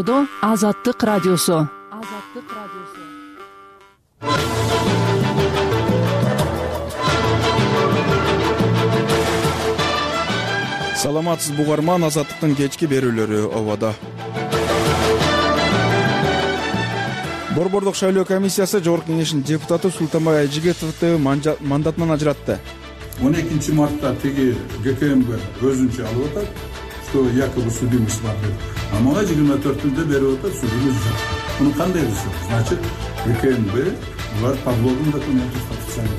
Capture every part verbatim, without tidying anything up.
Жашоодо Азаттык радиосу. Азаттык радиосу. Саламатсыз угарман, Азаттыктын кечки берүүлөрү ободо. Борбордук шайлоо комиссиясы Жогорку Кеңештин депутаты Султанбай Айжигитовду мандатынан ажыратты. он экинчи мартта тиги ГКМБ өзүнчө алып атат, что якобы судимость бар деп. А мага жыйырма төртүндө берип атат, судимость жок. Муну кандай кылышат? Значит, ГКМБ булар подлогун документин подписание.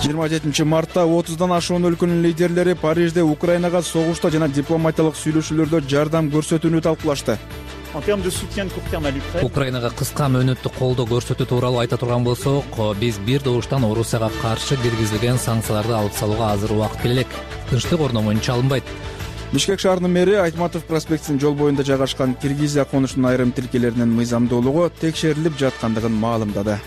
жыйырма жетинчи мартта отуздан ашуун өлкөнүн лидерлери Парижде Украинага согушта жана дипломатиялык сүйлөшүүлөрдө жардам көрсөтүүнү талкуулашты. Украинага кыска мөөнөттүк колдоо көрсөтүү тууралуу айта турган болсок, биз бир добуштан Орусияга каршы киргизилген санкцияларды алып салууга азыр убакыт келе элек. Тынчтык орномоюнча алынбайт. Бишкек шаарынын мэри Айтматов проспектинин жол боюнда жайгашкан Киргизия конушунун айрым тилкелеринин мыйзамдуулугу текшерилип жаткандыгын маалымдады.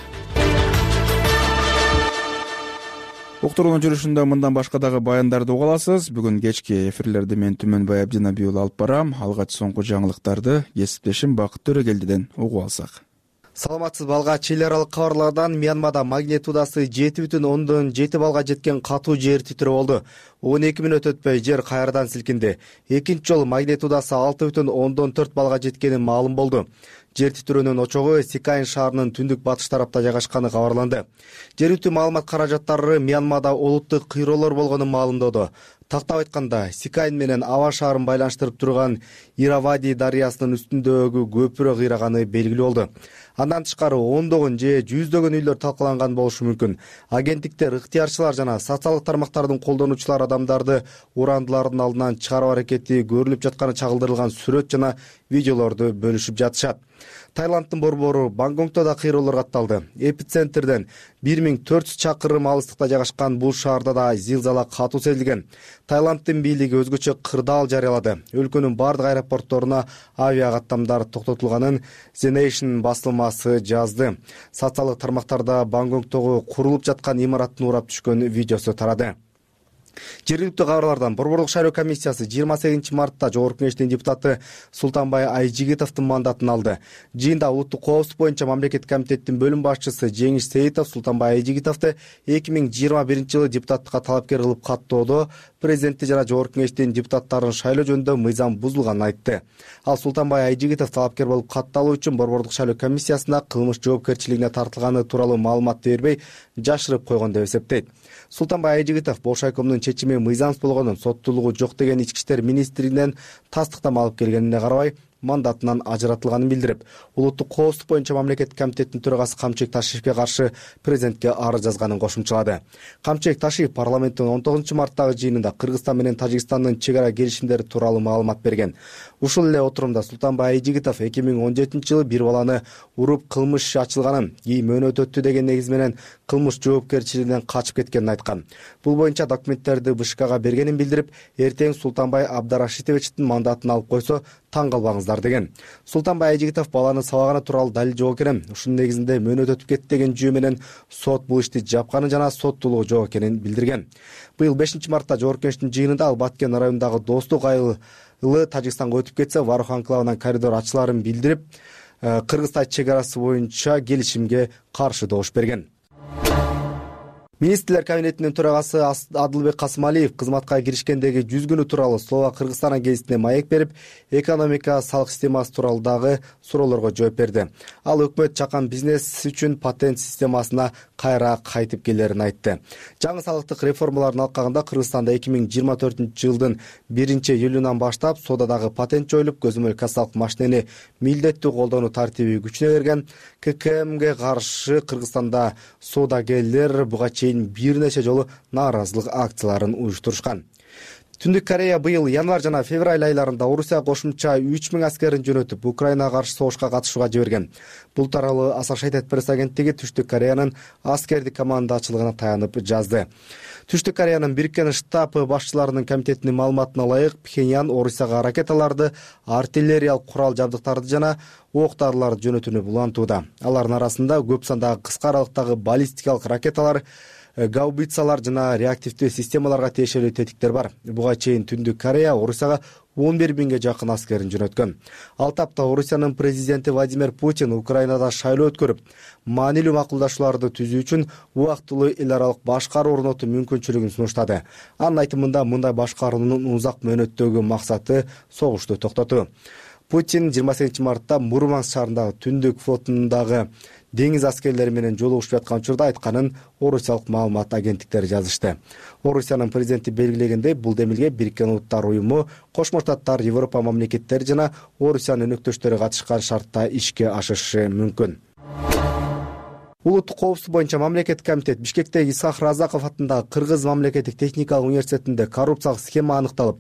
Уктуруунун жүрүшүндө мындан башка дагы баяндарды уга аласыз. Бүгүн кечки эфирлерди мен Түмөнбай Абдинабий уулу алып барам. Алгач соңку жаңылыктарды кесиптешим Бакыт Төрөгелдиден угуп алсак. Саламатсызбы, алгач эл аралык кабарлардан Мьянмада магнитудасы жети бүтүн ондон жети балга жеткен катуу жер титирөө болду. он эки мүнөт өтпөй жер кайрадан силкинди. Экинчи жолу магнитудасы алты бүтүн ондон төрт балга жеткени маалым болду. Жер титирөөнүн очогу Сикайн шаарынын түндүк батыш тарапта жайгашканы кабарланды. Жергиликтүү маалымат каражаттары Мьянмада олуттук кыйроолор болгонун маалымдоодо. Тактап айтканда, Сикайн менен Ава шаарын байланыштырып турган Иравади дарыясынын үстүндөгү көпүрө кыйраганы белгилүү болду. Андан тышкары ондогон же жүздөгөн үйлөр талкаланган болушу мүмкүн. Агенттиктер, ыктыярчылар жана социалдык тармактардын колдонуучулары адамдарды урандылардын алдынан чыгаруу аракети көрүлүп жатканы чагылдырылган сүрөт жана видеолорду бөлүшүп жатышат. Таиланддын борбору Бангкокто да кыйроолор катталды. Эпицентрден бир миң төрт жүз чакырым алыстыкта жайгашкан бул шаарда да зилзала катуу сезилген. Таиланддын бийлиги өзгөчө кырдаал жарыялады. Өлкөнүн бардык аэропортторуна авиа каттамдар токтотулганын The Nation басылмасы жазды. Социалдык тармактарда Бангкоктогу курулуп жаткан имараттын урап түшкөн видеосу тарады. Жергиликтүү кабарлардан Борбордук шайлоо комиссиясы жыйырма сегизинчи мартта Жогорку Кеңештин депутаты Султанбай Айжигитовдун мандатын алды. Жыйында улуттук коопсуздук боюнча мамлекеттик комитеттин бөлүм башчысы Жеңиш Сейитов Султанбай Айжигитовду эки миң жыйырма биринчи жылы депутаттыкка талапкер кылып каттоодо президенти жана Жогорку Кеңештин депутаттарын шайлоо жөнүндө мыйзам бузулганын айтты. Ал Султанбай Айжигитов талапкер болуп катталуу үчүн Борбордук шайлоо комиссиясына кылмыш жоопкерчилигине тартылганы тууралуу маалымат бербей жашырып койгон деп эсептейт. Султанбай Айжигитов Болшайкомдун чечими мыйзамсыз болгонун, соттуулугу жок деген ички иштер министрлигинен тастыктама алып келгенине карабай мандатынан ажыратылганын билдирип, улуттук коопсуздук боюнча мамлекеттик комитеттин төрагасы Камчек Ташиевке каршы президентке арыз жазганын кошумчалады. Камчек Ташиев парламенттин он тогузунчу марттагы жыйынында Кыргызстан менен Тажикстандын чек ара келишимдери тууралуу маалымат берген. Ушул эле отурумда Султанбай Айжигитов эки миң он жетинчи жылы бир баланы уруп кылмыш иши ачылганын, кийин мөөнөт өттү деген негиз менен кылмыш жоопкерчилигинен качып кеткенин айткан. Бул боюнча документтерди БШКга бергенин билдирип, эртең Султанбай Абдарашитовичтин мандатын алып койсо таң калбаңыздар деген. Султанбай Айжигитов баланы сабаганы тууралуу далил жок экенин, ушунун негизинде мөөнөт өтүп кетти деген жүйө менен сот бул ишти жапканын жана соттуулугу жок экенин билдирген. Быйыл бешинчи мартта Жогорку Кеңештин жыйынында ал Баткен районундагы Достук айылы Тажикстанга өтүп кетсе, Варух анклавынан коридор ачыларын билдирип, Кыргыз-Таж чек арасы боюнча келишимге каршы добуш берген. Министрлер кабинетинин төрагасы Адылбек Касымалиев кызматка киришкендеги жүз күнү тууралуу Слова Кыргызстана гезитине маек берип, экономика, салык системасы тууралуу дагы суроолорго жооп берди. Ал өкмөт чакан бизнес үчүн патент системасына кайра кайтып келерин айтты. Жаңы салыктык реформалардын алкагында Кыргызстанда эки миң жыйырма төртүнчү жылдын биринчи июлунан баштап соодадагы патент жоюлуп, көзөмөл кассалык машинени милдеттүү колдонуу тартиби күчүнө кирген. ККМге каршы Кыргызстанда соодагерлер буга чейин бир нече жолу нааразылык акцияларын уюштурушкан. Түндүк Корея быйыл январь жана февраль айларында Орусия кошумча үч миң аскерин жөнөтүп, Украинага каршы согушка катышууга жиберген. Бул тууралуу Associated Press агенттиги Түштүк Кореянын аскердик командачылыгына таянып жазды. Түштүк Кореянын Бириккен штаб башчыларынын комитетинин маалыматына ылайык, Пхеньян Орусияга ракеталарды, артиллериялык курал жабдыктарды жана ок-дарыларды жөнөтүүнү улантууда. Алардын арасында көп сандагы кыска аралыктагы баллистикалык ракеталар, гаубицалар жана реактивдүү системаларга тиешелүү тетиктер бар. Буга чейин Түндүк Корея Орусияга он бир миңге жакын аскерин жөнөткөн. Ал тапта Орусиянын президенти Владимир Путин Украинада шайлоо өткөрүп, маанилүү макулдашууларды түзүү үчүн убактылуу эл аралык башкаруу орнотуу мүмкүнчүлүгүн сунуштады. Анын айтымында мындай башкаруунун узак мөөнөттөгү максаты согушту токтотуу. Путин жыйырма сегизинчи мартта Мурманск шаарындагы Түндүк флотундагы деңиз аскерлери менен жолугушуп жаткан учурда айтканын орусиялык маалымат агенттиктери жазышты. Орусиянын президенти белгилегендей, бул демилге Бириккен Улуттар уюму, Кошмо Штаттар, Европа мамлекеттери жана Орусиянын өнөктөштөрү катышкан шартта ишке ашышы мүмкүн. Улуттук коопсуздук боюнча мамлекеттик комитет Бишкектеги Исхак Разаков атындагы Кыргыз мамлекеттик техникалык университетинде коррупциялык схема аныкталып,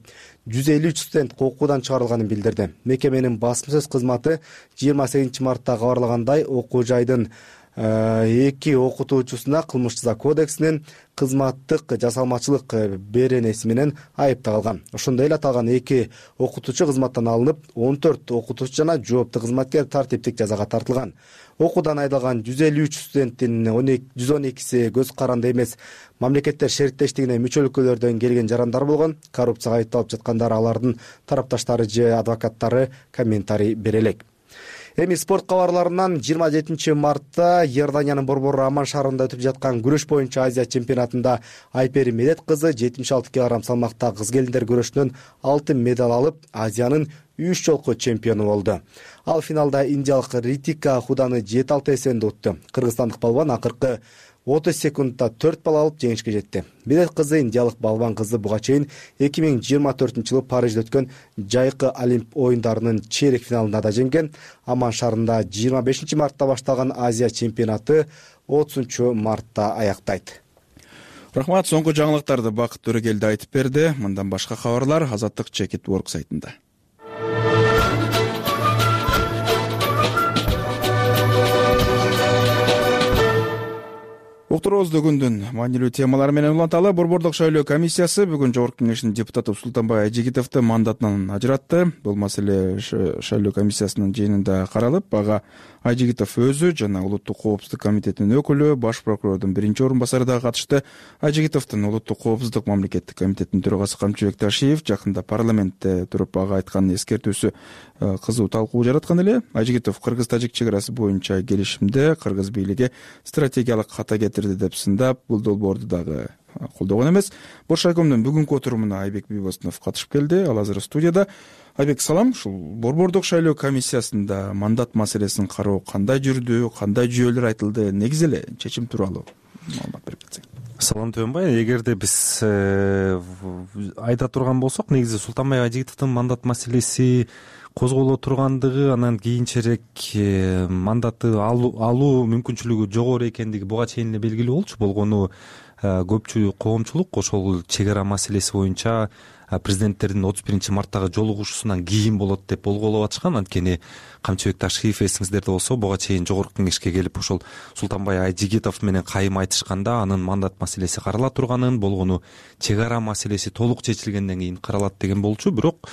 жүз элүү үч студент окуудан чыгарылганын билдирди. Мекеменин басма сөз кызматы жыйырма сегизинчи мартта кабарлагандай, окуу жайдын эки окутуучусуна кылмыш жаза кодексинин кызматтык жасалмачылык беренеси менен айыпталган. Ошондой эле аталган эки окутуучу кызматтан алынып, он төрт окутуучу жана жооптуу кызматкер тартиптик жазага тартылган. Окуудан айдалган жүз элүү үч студенттин жүз он экиси көз каранды эмес, мамлекеттер шериктештигине мүчө өлкөлөрдөн келген жарандар болгон. Коррупцияга айыпталып жаткандар алардын тарапташтары же адвокаттары комментарий бере элек. Эми спорт кабарларынан жыйырма жетинчи мартта Иорданиянын Борбору Аман шаарында өтүп жаткан күрөш боюнча Азия чемпионатында Айпери Медет кызы жетимиш алты килограмм салмакта кыз келиндер күрөшүнөн алтын медаль алып, Азиянын үч жолку чемпиону болду. Ал финалда индиялык Ритика Худаны жети алты эсебинде утту. Кыргызстандык балбан акыркы отуз секундда төрт балл алып жеңишке жетти. Медет кызы индиялык балбан кызы буга чейин эки миң жыйырма төртүнчү жылы Парижде өткөн жайкы Олимп оюндарынын чейрек финалында да жеңген. Аман шаарында жыйырма бешинчи мартта башталган Азия чемпионаты отузунчу мартта аяктайт. Рахмат, соңку жаңылыктарды Бакыт Төрөгелди айтып берди. Мындан башка кабарлар Азаттык Чекит Work сайтында. Уктуруубузду күндүн маанилүү темалары менен уланталы. Борбордук шайлоо комиссиясы бүгүн Жогорку Кеңештин депутаты Султанбай Айжигитовду мандатынан ажыратты. Бул маселе шайлоо комиссиясынын жыйынында каралып, ага Айжигитов өзү жана Улуттук коопсуздук комитетинин өкүлү, баш прокурордун биринчи орун басары да катышты. Айжигитовдун Улуттук коопсуздук мамлекеттик комитетинин төрагасы Камчыбек Ташиев жакында парламентте туруп ага айткан эскертүүсү кызуу талкуу жараткан эле. Айжигитов кыргыз-тажик чек арасы боюнча келишимде кыргыз бийлиги стратегиялык хата кетирди деп сындап, бул долбоорду дагы колдогон эмес. Бош райкомдун бүгүнкү отурумуна Айбек Бийбосунов катышып келди. Ал азыр студияда. Айбек, салам. Ушул борбордук шайлоо комиссиясында мандат маселесин кароо кандай жүрдү, кандай жүйөлөр айтылды, негизи эле чечим тууралуу маалымат берип кетсең. Салам Төөнбай, эгерде биз айта турган болсок, негизи Султанбай Айжигитовдун мандат маселеси козголо тургандыгы, анан кийинчерээк мандатты алуу мүмкүнчүлүгү жогору экендиги буга чейин эле белгилүү болчу. Болгону көпчү коомчулук ошол чек ара маселеси боюнча президенттердин отуз биринчи марттагы жолугушуусунан кийин болот деп болголоп атышкан. Анткени Камчыбек Ташиев эсиңиздерде болсо, буга чейин Жогорку Кеңешке келип ошол Султанбай Айжигитов менен кайым айтышканда анын мандат маселеси карала турганын, болгону чек ара маселеси толук чечилгенден кийин каралат деген болчу. Бирок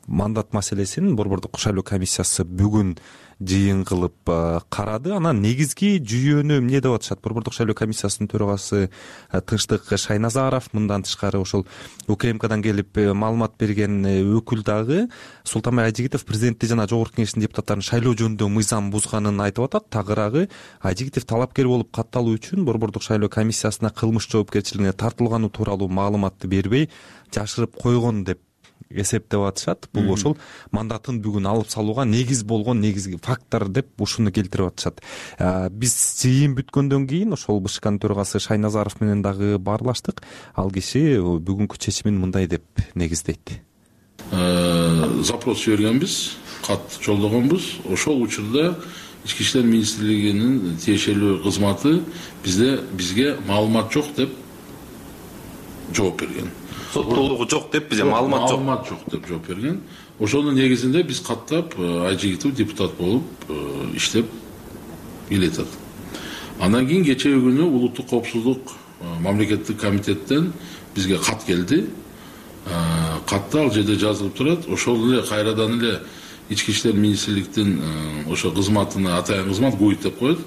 мандат маселесин борбордук шайлоо комиссиясы бүгүн жыйын кылып карады. Анан негизги жүйөнү эмне деп атышат? Борбордук шайлоо комиссиясынын төрагасы Тынчтык Шайназаров, мындан тышкары ошол УКМКдан келип маалымат берген өкүл дагы Султанбай Айжигитов президентти жана Жогорку Кеңештин депутаттарын шайлоо жөнүндө мыйзам бузганын айтып атат. Тагыраагы Айжигитов талапкер болуп катталуу үчүн борбордук шайлоо комиссиясына кылмыш жоопкерчилигине тартылганы тууралуу маалыматты бербей жашырып койгон деп эсептеп атышат. Бул ошол мандатын бүгүн алып салууга негиз болгон негизги фактор деп ушуну келтирип атышат. Биз жыйын бүткөндөн кийин ошол БШКнын төрагасы Шайназаров менен дагы баарлаштык. Ал киши бүгүнкү чечимин мындай деп негиздейт. Запрос жибергенбиз, кат жолдогонбуз. Ошол учурда Ички иштер министрлигинин тиешелүү кызматы бизде бизге маалымат жок деп жооп берген. Соттолугу жок деп бизге маалымат жок. Маалымат жок деп жооп берген. Ошонун негизинде биз каттап Айжигитов депутат болуп иштеп келатат. Андан кийин кечээ күнү Улуттук коопсуздук мамлекеттик комитеттен бизге кат келди. Катта ал жерде жазылып турат. Ошол эле кайрадан эле Ички иштер министрликтин ошо кызматына атайын кызмат ГУИД деп коет.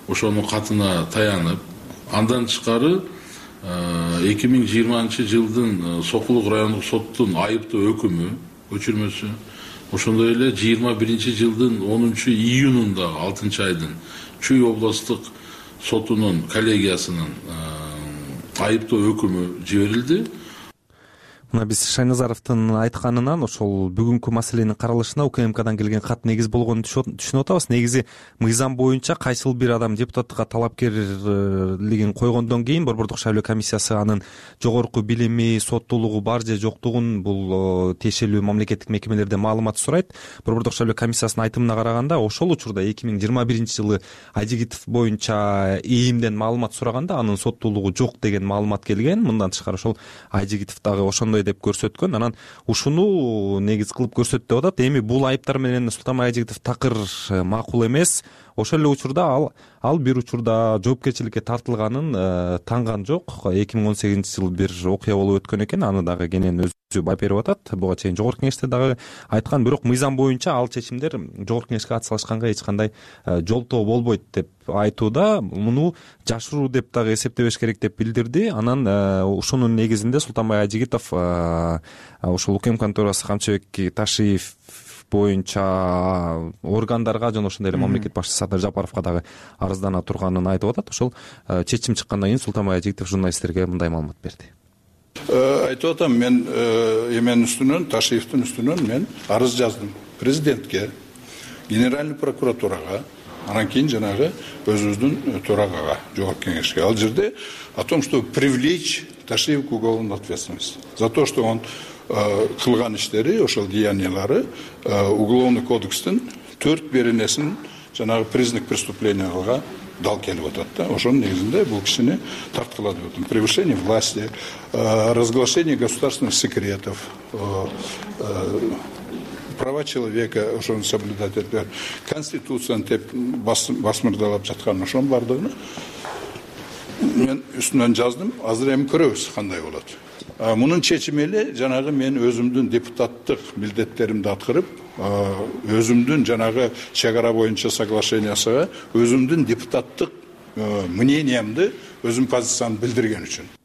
Ошонун катына таянып, Андан тышкары эки миң жыйырманчы жылдын Сокулук райондук соттун айыптоо өкүмү көчүрмөсү, ошондой эле жыйырма биринчи жылдын онунчу июнунда алтынчы айдын Чүй областтык сотунун коллегиясынын айыптоо өкүмү жиберилди. Мына биз Шайназаровдун айтканынан ошол бүгүнкү маселенин каралышына УКМКдан келген кат негиз болгонун түшүнүп атабыз. Негизи мыйзам боюнча кайсыл бир адам депутаттыкка талапкерлигин койгондон кийин Борбордук шайлоо комиссиясы анын жогорку билими, соттуулугу бар же жоктугун бул тиешелүү мамлекеттик мекемелерден маалымат сурайт. Борбордук шайлоо комиссиясынын айтымына караганда ошол учурда эки миң жыйырма биринчи жылы Айжигитов боюнча ИИМден маалымат сураганда анын соттуулугу жок деген маалымат келген. Мындан тышкары ошол Айжигитов дагы ошондой деп көрсөткөн. Анан ушуну негиз кылып көрсөт деп атат. Эми бул айыптар менен Султанбай Айжигитов такыр макул эмес. Ошол эле учурда ал ал бир учурда жоопкерчиликке тартылганын танган жок. эки миң он сегизинчи жылы бир окуя болуп өткөн экен. Аны дагы кенен өзү байып берип атат. Буга чейин жогорку кеңеште дагы айткан, бирок мыйзам боюнча ал чечимдер жогорку кеңешке ат салышканга эч кандай жолтоо болбойт деп айтууда. Муну жашыруу деп дагы эсептебеш керек деп билдирди. Анан ушунун негизинде Султанбай Айжигитов ошол УКМКнын төрагасы Камчыбек Ташиев боюнча органдарга жана ошондой эле мамлекет башчысы Садыр Жапаровго дагы арыздана турганын айтып атат. Ошол чечим чыккандан кийин Султанбай Айжигитов журналисттерге мындай маалымат берди. Айтып атам, мен эменин үстүнөн, Ташиевдин үстүнөн мен арыз жаздым президентке, генеральный прокуратурага, анан кийин жанагы өзүбүздүн төрагага, жогорку кеңешке. Ал жерде о том, что привлечь Ташиев к уголовной ответственности за то, что он кылган иштери, ошол деяниялары уголовный кодекстин төрт беренесин жанагы признак преступленияларга дал келип атат да. Ошонун негизинде бул кишини тарткыла деп атам. Превышение власти, разглашение государственных секретов, права человека ошону соблюдать этпер, конституцияны теп басмырдалап жаткан ошонун бардыгын мен үстүнөн жаздым. Азыр эми көрөбүз кандай болот. Мунун чечими эле жанагы мен өзүмдүн депутаттык милдеттеримди аткарып, өзүмдүн жанагы чек ара боюнча соглашениясына өзүмдүн депутаттык мнениямды, өзүм позициямды билдирген үчүн.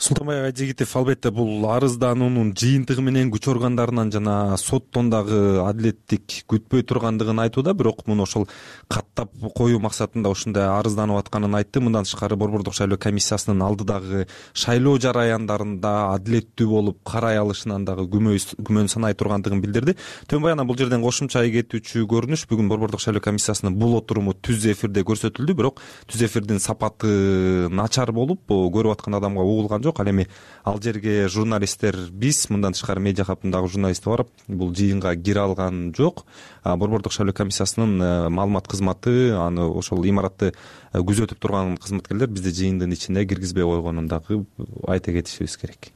Султанбай Айжигитов албетте бул арыздануунун жыйынтыгы менен күч органдарынан жана соттон дагы адилеттик күтпөй тургандыгын айтууда, бирок муну ошол каттап коюу максатында ушундай арызданып атканын айтты. Мындан тышкары Борбордук шайлоо комиссиясынын алдыдагы шайлоо жараяндарында адилеттүү болуп карай алышынан дагы күмөн санай тургандыгын билдирди. Төөнбай анан бул жерден кошумча кетүүчү көрүнүш бүгүн Борбордук шайлоо комиссиясынын бул отуруму түз эфирде көрсөтүлдү, бирок түз эфирдин сапаты начар болуп көрүп аткан адамга угулган жок. Ал эми ал жерге журналисттер биз, мындан тышкары медиа хабтындагы журналисттер барып, бул жыйынга кире алган жок. Борбордук шайлоо комиссиясынын маалымат кызматы, аны ошол имаратты күзөтүп турган кызматкерлер бизди жыйындын ичине киргизбей койгонун дагы айта кетишибиз керек.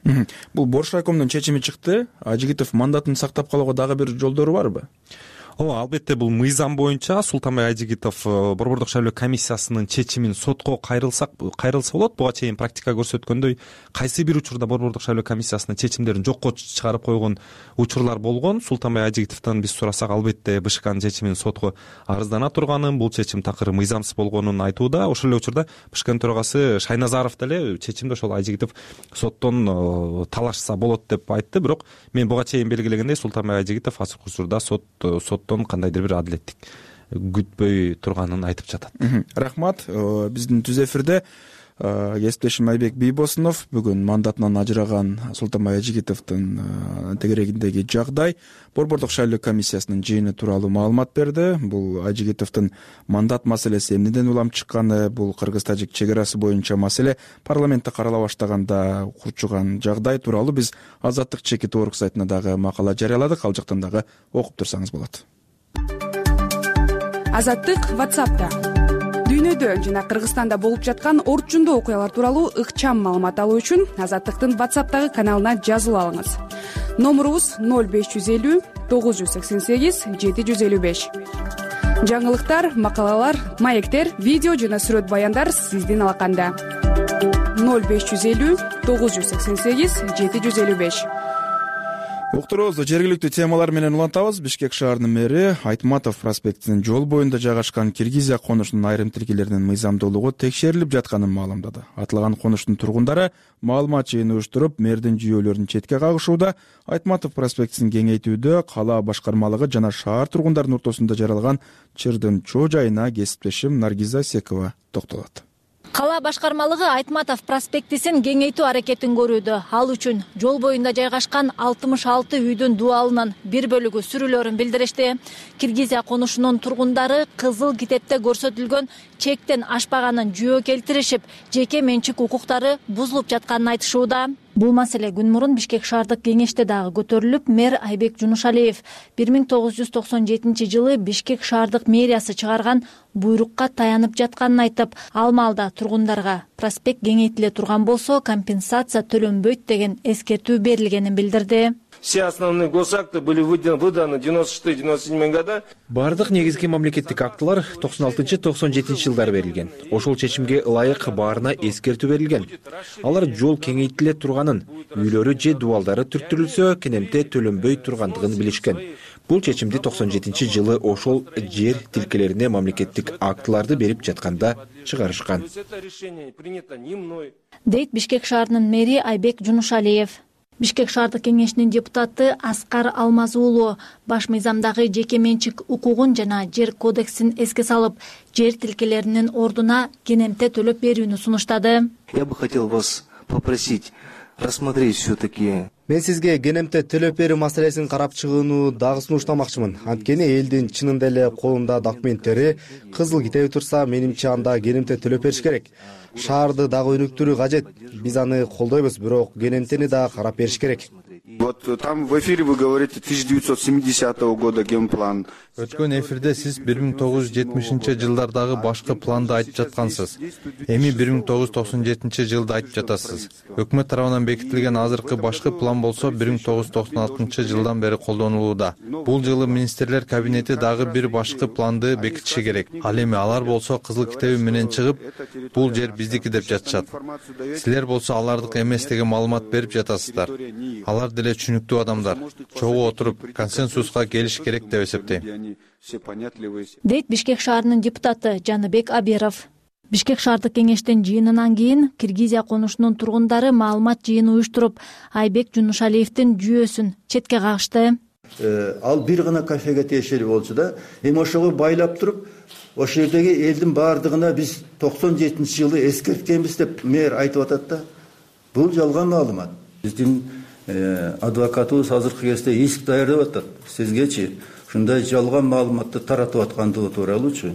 Бул Бош райкомдун чечими чыкты. Айжигитов мандатын сактап калууга дагы бир жолдору барбы? Ооба, албетте бул мыйзам боюнча Султанбай Айжигитов Борбордук шайлоо комиссиясынын чечимин сотко кайрылсак кайрылса болот. Буга чейин практика көрсөткөндөй, кайсы бир учурда Борбордук шайлоо комиссиясынын чечимдерин жокко чыгарып койгон учурлар болгон. Султанбай Айжигитовдон биз сурасак, албетте БШКнын чечимин сотко арыздана турганын, бул чечим такыр мыйзамсыз болгонун айтууда. Ошол эле учурда БШКнын төрагасы Шайназаров деле чечимди ошол Айжигитов соттон талашса болот деп айтты. Бирок мен буга чейин белгилегендей, Султанбай Айжигитов азыркы учурда сот сот кандайдыр бир адилеттик күтпөй турганын айтып жатат. Рахмат. Биздин түз эфирде кесиптешим Айбек Бийбосунов бүгүн мандатынан ажыраган Султанбай Айжигитовдун тегерегиндеги жагдай, Борбордук шайлоо комиссиясынын жыйыны тууралуу маалымат берди. Бул Айжигитовдун мандат маселеси эмнеден улам чыкканы, бул кыргыз-тажик чек арасы боюнча маселе парламентте карала баштаганда курчуган жагдай тууралуу биз Азаттык чекит орг сайтына дагы макала жарыяладык. Ал жактан дагы окуп турсаңыз болот. Азаттык WhatsApp'та дүйнөдө жана Кыргызстанда болуп жаткан орчундуу окуялар тууралуу ыкчам маалымат алуу үчүн Азаттыктын WhatsApp'тагы каналына жазылып алыңыз. Номурубуз ноль беш жүз элүү тогуз жүз сексен сегиз жети жүз элүү беш. Жаңылыктар, макалалар, маектер, видео жана сүрөт баяндар сиздин алаканда. ноль беш жүз элүү тогуз жүз сексен сегиз жети жүз элүү беш. уктуруубузду жергиликтүү темалар менен улантабыз. Бишкек шаарынын мэри Айтматов проспектинин жол боюнда жайгашкан Киргизия конушунун айрым тилкелеринин мыйзамдуулугу текшерилип жатканын маалымдады. Аталган конуштун тургундары маалымат жыйыны уюштуруп, мэрдин жүйөлөрүн четке кагышууда. Айтматов проспектин кеңейтүүдө кала башкармалыгы жана шаар тургундарынын ортосунда жаралган чырдын чоо жайына кесиптешим Наргиза Секова токтолот. Кала башкармалыгы Айтматов проспектисин кеңейтүү аракетин көрүүдө. Ал үчүн жол боюнда жайгашкан алтымыш алты үйдүн дубалынын бир бөлүгү сүрүлөрүн билдиришти. Киргизия конушунун тургундары кызыл китепте көрсөтүлгөн чектен ашпаганын жөө келтиришип, жеке менчик укуктары бузулуп жатканын айтышууда. Бул маселе күн мурун Бишкек шаардык кеңеште дагы көтөрүлүп, мэр Айбек Жунушалиев бир миң тогуз жүз токсон жетинчи жылы Бишкек шаардык мэриясы чыгарган буйрукка таянып жатканын айтып, ал маалда тургундарга проспект кеңейтиле турган болсо компенсация төлөнбөйт деген эскертүү берилгенин билдирди. Все основные госакты были выданы в девяносто шестом — девяносто седьмом годах. Бардык негизги мамлекеттик актылар токсон алтынчы — токсон жетинчи жылдары берилген. Ошол чечимге ылайык баарына эскертүү берилген. Алар жол кеңейтиле турганын, үйлөрү же дубалдары түрттүрүлсө, кенемте төлөнбөй тургандыгын билишкен. Бул чечимди токсон жетинчи жылы ошол жер тилкелерине мамлекеттик актыларды берип жатканда чыгарышкан. Дейт Бишкек шаарынын мэри Айбек Жунушалиев. Бишкек шаардык кеңешинин депутаты Аскар Алмазуулу баш мыйзамдагы жеке менчик укугун жана жер кодексин эске салып, жер тилкелеринин ордуна кенемте төлөп берүүнү сунуштады. Я бы хотел вас попросить рассмотреть все-таки. Мен сизге кенемте төлөп берүү маселесин карап чыгууну дагы сунуштамакчымын. Анткени элдин чынында эле колунда документтери, кызыл китеби турса, менимче анда кенемте төлөп бериш керек. Шаарды дагы өнүктүрүү кажет. Биз аны колдойбуз, бирок кенемтени дагы карап бериш керек. Вот там в эфире вы говорите тысяча девятьсот семидесятого года генплан. Өткөн эфирде сиз бир миң тогуз жүз жетимишинчи жылдардагы башкы планды айтып жаткансыз. Эми бир миң тогуз жүз токсон жетинчи жылды айтып жатасыз. Өкмөт тарабынан бекитилген азыркы башкы план болсо бир миң тогуз жүз токсон алтынчы жылдан бери колдонулууда. Бул жылы министрлер кабинети дагы бир башкы планды бекитиши керек. Ал эми алар болсо кызыл китеби менен чыгып, бул жер биздики деп жатышат. Силер болсо алардык эмес деген маалымат берип жатасыздар. Алар деле түшүнүктүү адамдар. Чогуу отуруп консенсуска келиш керек деп эсептейм. Дейт Бишкек шаарынын депутаты Жаныбек Аберов. Бишкек шаардык кеңештин жыйынынан кийин Киргизия конушунун тургундары маалымат жыйыны уюштуруп, Айбек Жунушалиевдин жүйөсүн четке кагышты. Ал бир гана кафеге тиешелүү болчу да, эми ошого байлап туруп, ошол жердеги элдин баардыгына биз токсон жетинчи жылы эскерткенбиз деп мэр айтып атат да. Бул жалган маалымат. Биздин адвокатыбыз азыркы кезде иск даярдап атат. Сизгечи ушундай жалган маалыматты таратып аткандыгы тууралуучу.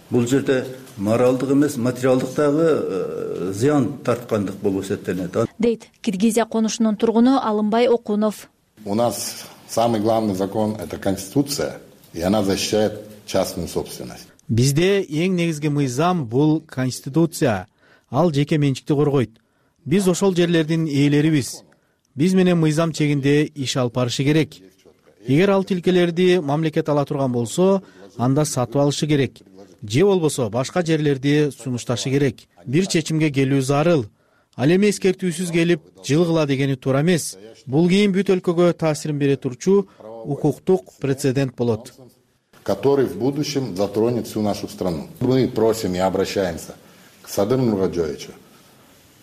Бул жерде моралдык эмес, материалдык дагы зыян тарткандык болуп эсептелет. Дейт Киргизия конушунун тургуну Алымбай Окунов. У нас самый главный закон — это Конституция, и она защищает частную собственность. Бизде эң негизги мыйзам бул Конституция. Ал жеке менчикти коргойт. Биз ошол жерлердин ээлерибиз. Биз менен мыйзам чегинде иш алып барышы керек. Эгер ал тилкелерди мамлекет ала турган болсо, анда сатып алышы керек. Же болбосо башка жерлерди сунушташы керек. Бир чечимге келүү зарыл. Ал эми эскертүүсүз келип, жылгыла дегени туура эмес. Бул кийин бүт өлкөгө таасирин бере турчу укуктук прецедент болот, который в будущем затронет всю нашу страну. Мы просим и обращаемся к Садыру Нургаджоевичу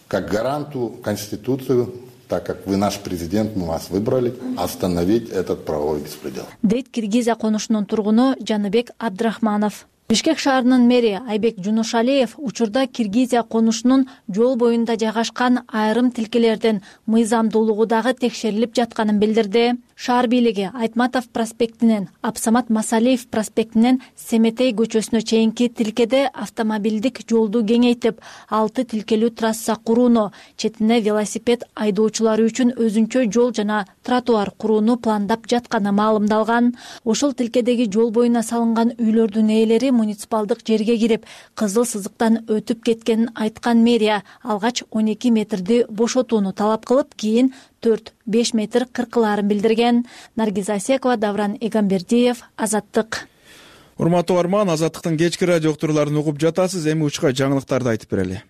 как гаранту Конституции, так как вы наш президент, мы вас выбрали, остановить этот правовой беспредел. Дейт Киргизия конушунун тургуну Жаныбек Абдрахманов. Бишкек шаарынын мэри Айбек Жунушалиев учурда Киргизия конушунун жол боюнда жайгашкан айрым тилкелердин мыйзамдуулугу дагы текшерилип жатканын билдирди. Шаар бийлиги Айтматов проспектинен Абсамат Масалиев проспектинен Семетей көчөсүнө чейинки тилкеде автомобилдик жолду кеңейтип, алты тилкелүү трасса курууну, четине велосипед айдоочулары үчүн өзүнчө жол жана тротуар курууну пландап жатканы маалымдалган. Ошол тилкедеги жол боюна салынган үйлөрдүн ээлери муниципалдык жерге кирип, кызыл сызыктан өтүп кеткенин айткан мэрия алгач он эки метрди бошотууну талап кылып, кийин төрт беш метр кыркылаарын билдирген. Наргиза Секова, Давран Эгамбердиев, Азаттык. Урматтуу арман, Азаттыктын кечки радио уктурууларын угуп жатасыз. Эми учка жаңылыктарды айтып берели.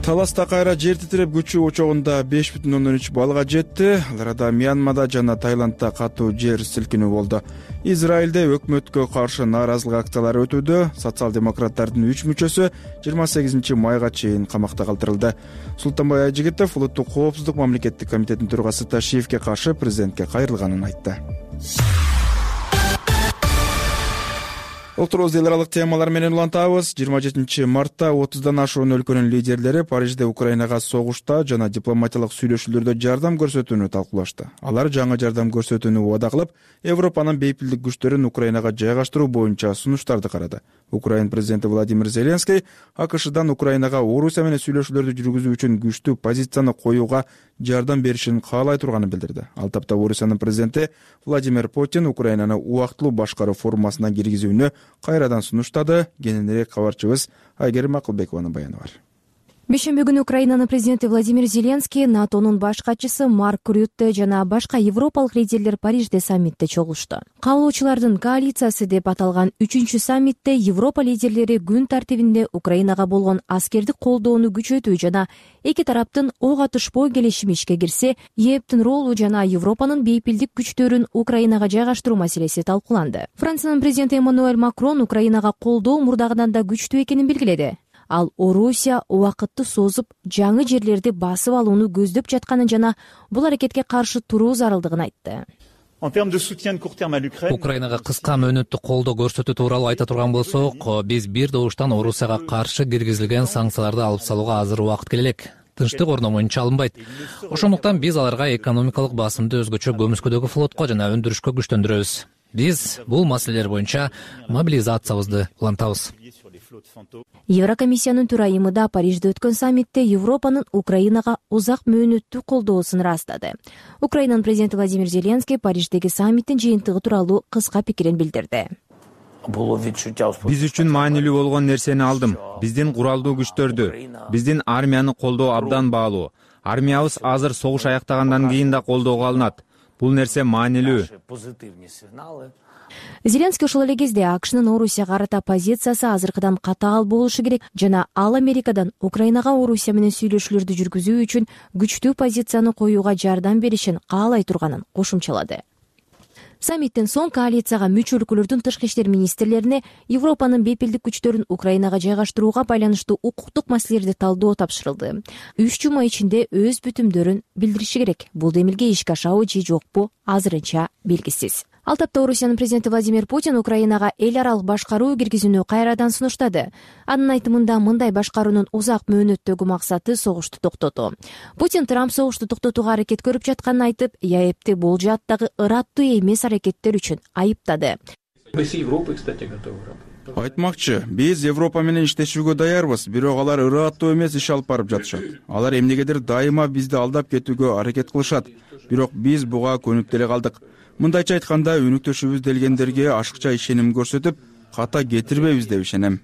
Таласта кайра жер титиреп күчү учогунда беш бүтүн ондон үч баллга жетти. Ал арада Мьянмада жана Таиландда катуу жер силкинүү болду. Израилде өкмөткө каршы нааразылык акциялары өтүүдө. Социал-демократтардын үч мүчөсү жыйырма сегизинчи майга чейин камакта калтырылды. Султанбай Айжигитов улуттук коопсуздук мамлекеттик комитетинин төрагасы Ташиевке каршы президентке кайрылганын айтты. Олтурбуз эл аралык темалар менен улантабыз. жыйырма жетинчи мартта отуздан ашуун өлкөнүн лидерлери Парижде Украинага согушта жана дипломатиялык сүйлөшүүлөрдө жардам көрсөтүүнү талкуулашты. Алар жаңы жардам көрсөтүүнү убада кылып, Европанын бейпилдик күчтөрүн Украинага жайгаштыруу боюнча сунуштарды карады. Украин президенти Владимир Зеленский АКШдан Украинага Орусия менен сүйлөшүүлөрдү жүргүзүү үчүн күчтүү позицияны коюуга жардам беришин каалай турганын билдирди. Ал тапта Орусиянын президенти Владимир Путин Украинаны убактылуу башкаруу формасына киргизүүнү кайрадан сунуштады. Кененирээк кабарчыбыз Айгерим Акылбекованын баяны бар. Бейшемби күнү Украинанын президенти Владимир Зеленский, НАТОнун баш катчысы Марк Рютте жана башка европалык лидерлер Парижде саммитте чогулушту. Каалоочулардын коалициясы деп аталган үчүнчү саммитте Европа лидерлери күн тартибинде Украинага болгон аскердик колдоону күчөтүү жана эки тараптын ок атышпоо келишими ишке кирсе, ЕЭПтин ролу жана Европанын бейпилдик күчтөрүн Украинага жайгаштыруу маселеси талкууланды. Франциянын президенти Эммануэль Макрон Украинага колдоо мурдагыдан да күчтүү экенин белгиледи. Ал Орусия убакытты созуп, жаңы жерлерди басып алууну көздөп жатканын жана бул аракетке каршы туруу зарылдыгын айтты. Украинага кыска мөөнөттүк колдоо көрсөтүү тууралуу айта турган болсок, биз бир добуштан Орусияга каршы киргизилген санкцияларды алып салууга азыр убакыт келе элек. Тынчтык орномоюнча алынбайт. Ошондуктан биз аларга экономикалык басымды өзгөчө көмүскөдөгү флотко жана өндүрүшкө күчтөндүрөбүз. Биз бул маселелер боюнча мобилизациябызды улантабыз. Еврокомиссиянын төрайымы да Парижде өткөн саммитте Европанын Украинага узак мөөнөттүү колдоосун ырастады. Украинанын президенти Владимир Зеленский Париждеги саммиттин жыйынтыгы тууралуу кыска пикирин билдирди. Биз үчүн маанилүү болгон нерсени алдым. Биздин куралдуу күчтөрдү, биздин армияны колдоо абдан баалуу. Армиябыз азыр согуш аяктагандан кийин да колдоого алынат. Бул нерсе маанилүү. Зеленский ошол эле кезде АКШнын Орусияга карата позициясы азыркыдан катаал болушу керек жана ал Америкадан Украинага Орусия менен сүйлөшүүлөрдү жүргүзүү үчүн күчтүү позицияны коюуга жардам беришин каалай турганын кошумчалады. Саммиттен соң коалицияга мүчө өлкөлөрдүн тышкы иштер министрлерине Европанын бейпилдик күчтөрүн Украинага жайгаштырууга байланыштуу укуктук маселелерди талдоо тапшырылды. Үч жума ичинде өз бүтүмдөрүн билдириши керек. Бул демилге ишке ашабы же жокпу азырынча белгисиз. Ал тапта Орусиянын президенти Владимир Путин Украинага эл аралык башкаруу киргизүүнү кайрадан сунуштады. Анын айтымында мындай башкаруунун узак мөөнөттөгү максаты согушту токтотуу. Путин Трамп согушту токтотууга аракет көрүп жатканын айтып, ЕАЭПти бул жааттагы ыраттуу эмес аракеттер үчүн айыптады. Айтмакчы, биз Европа менен иштешүүгө даярбыз, бирок алар ыраттуу эмес иш алып барып жатышат. Алар эмнегедир дайыма бизди алдап кетүүгө аракет кылышат, бирок биз буга көнүп деле калдык. Мындайча айтканда, өнүктөшүбүз делгендерге ашыкча ишеним көрсөтүп, ката кетирбейбиз деп ишенем.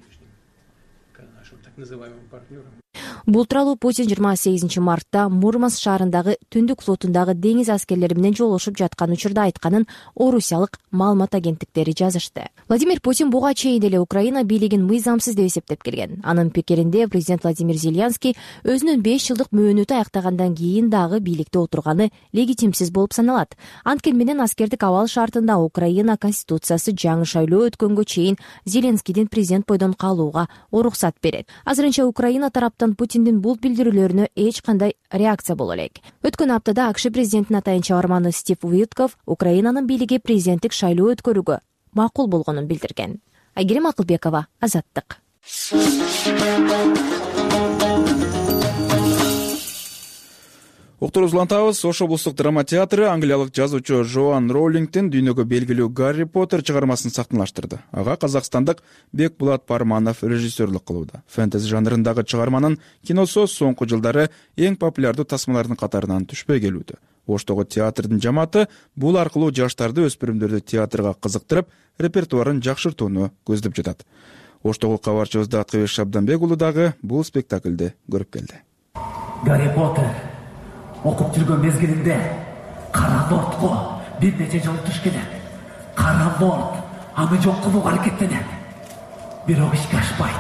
Бул тууралуу Путин жыйырма сегизинчи мартта Мурманск шаарындагы Түндүк флотундагы деңиз аскерлери менен жолугушуп жаткан учурда айтканын орусиялык маалымат агенттиктери жазышты. Владимир Путин буга чейин эле Украина бийлигин мыйзамсыз деп эсептеп келген. Анын пикиринде президент Владимир Зеленский өзүнүн беш жылдык мөөнөтү аяктагандан кийин дагы бийликте отурганы легитимсиз болуп саналат. Анткени менен аскердик абал шартында Украина конституциясы жаңы шайлоо өткөнгө чейин Зеленскийдин президент бойдон калууга уруксат берет. Азырынча Украина тараптан Путиндин бул билдирүүлөрүнө эч кандай реакция боло элек. Өткөн аптада АКШ президентинин атайын чыгарманы Стив Уитков Украинанын бийлиги президенттик шайлоо өткөрүүгө макул болгонун билдирген. Айгерим Акылбекова, Азаттык. Уктурубузду улантабыз. Ош облустук драма театры англиялык жазуучу Жоан Роулингдин дүйнөгө белгилүү Гарри Поттер чыгармасын сахналаштырды. Ага казакстандык Бекбулат Парманов режиссерлук кылууда. Фэнтези жанрындагы чыгарманын киносу соңку жылдары эң популярдуу тасмалардын катарынан түшпөй келүүдө. Оштогу театрдын жамааты бул аркылуу жаштарды, өспүрүмдөрдү театрга кызыктырып, репертуарын жакшыртууну көздөп жатат. Оштогу кабарчыбыз Аткыбек Шабданбек уулу дагы бул спектакльди көрүп келди. Гарри Поттер окуп жүргөн мезгилинде Кара Лордго бир нече жолу туш келет. Кара Лорд аны жок кылууга аракеттенет, бирок ишке ашпайт.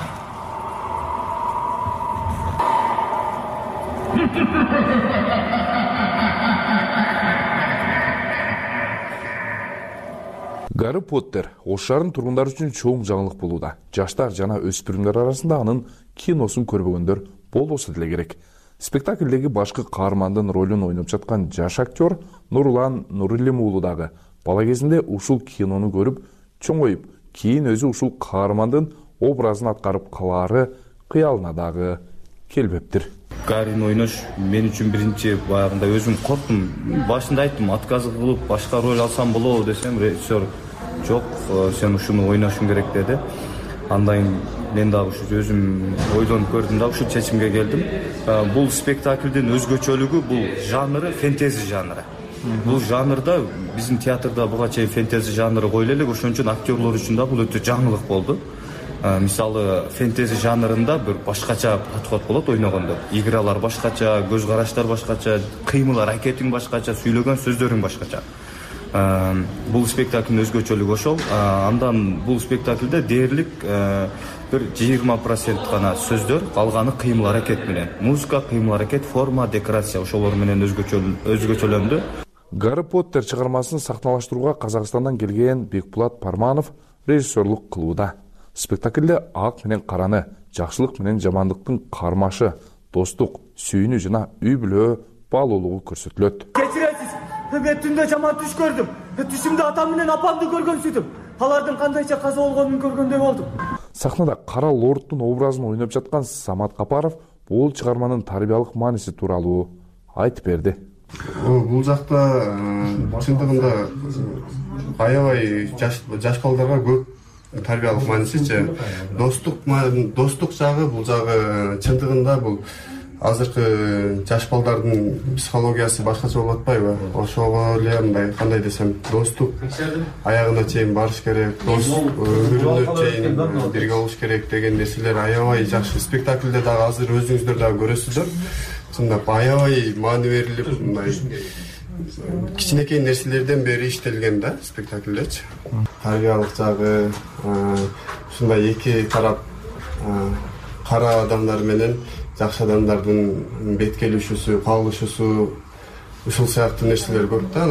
Гарри Поттер Ош шаарынын тургундары үчүн чоң жаңылык болууда. Жаштар жана өспүрүмдөр арасында анын киносун көрбөгөндөр болбосо деле керек. Спектаклдеги башкы каармандын ролун ойноп жаткан жаш актер Нурлан Нурилим уулу дагы бала кезинде ушул кинону көрүп, чоңоюп, кийин өзү ушул каармандын образын аткарып калаары кыялына дагы келбептир. Гаррини ойнош мен үчүн биринчи баягында өзүм корктум. Башында айттым, отказ кылып башка роль алсам болобу десем, режиссер жок, сен ушуну ойношуң керек деди. Андан мен дагы ушу өзүм ойлонуп көрдүм да ушул чечимге келдим. Бул спектаклдин өзгөчөлүгү бул жанры фэнтези жанры. Бул жанрда биздин театрда буга чейин фэнтези жанры койуло элек, ошон үчүн актерлор үчүн да бул өтө жаңылык болду. Мисалы фэнтези жанрында бир башкача подход болот ойногондо. Игралар башкача, көз караштар башкача, кыймыл аракетиң башкача, сүйлөгөн сөздөрүң башкача. Бул спектаклдин өзгөчөлүгү ошол. Андан бул спектаклде дээрлик бир жыйырма процент гана сөздөр, калганы кыймыл аракет менен. Музыка, кыймыл аракет, форма, декорация ошолор менен өзгөчөлөндү. Гарри Поттер чыгармасын сахналаштырууга Казакстандан келген Бекбулат Парманов режиссерлук кылууда. Спектаклде ак менен караны, жакшылык менен жамандыктын кармашы, достук, сүйүүнү жана үй бүлө баалуулугу көрсөтүлөт. Кечиресиз, мен түндө жаман түш көрдүм. Түшүмдө атам менен апамды көргөн сүйтүм. Алардын кандайча каза болгонун көргөндөй болдум. Сахнада Кара Лордтун образын ойноп жаткан Самат Капаров бул чыгарманын тарбиялык мааниси тууралуу айтып берди. Бул жакта чындыгында аябай жаш жаш балдарга көп тарбиялык маанисичи, достук достук жагы бул жагы чындыгында бул азыркы жаш балдардын психологиясы башкача болуп атпайбы? Ошого эле мындай кандай десем, достук аягына чейин барыш керек, дос өмүрүнө чейин бирге болуш керек деген нерселер аябай жакшы. Спектаклде дагы азыр өзүңүздөр дагы көрөсүздөр. Чындап аябай маани берилип, мындай кичинекей нерселерден бери иштелген да спектаклдечи. Тарбиялык жагы ушундай эки тарап кара адамдар менен жакшы адамдардын бет келишүүсү, кагылышуусу ушул сыяктуу нерселер көп да.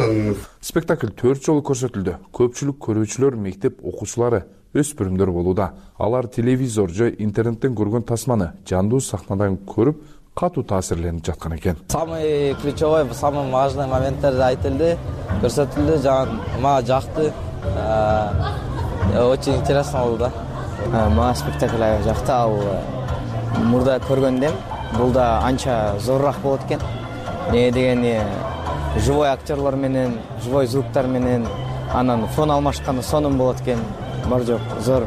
Спектакль төрт жолу көрсөтүлдү. Көпчүлүк көрүүчүлөр мектеп окуучулары, өспүрүмдөр болууда. Алар телевизор же интернеттен көргөн тасманы жандуу сахнадан көрүп, катуу таасирленип жаткан экен. Самый ключевой, самый важный моменттер айтылды, көрсөтүлдү, жана мага жакты. Очень интересно болду да. Мага спектакль жакты, ал мурда көргөндөн бул да анча зорураак болот экен. Эмне дегени живой актерлор менен, живой звуктар менен анан фон алмашканда сонун болот экен. Бар жок, зор.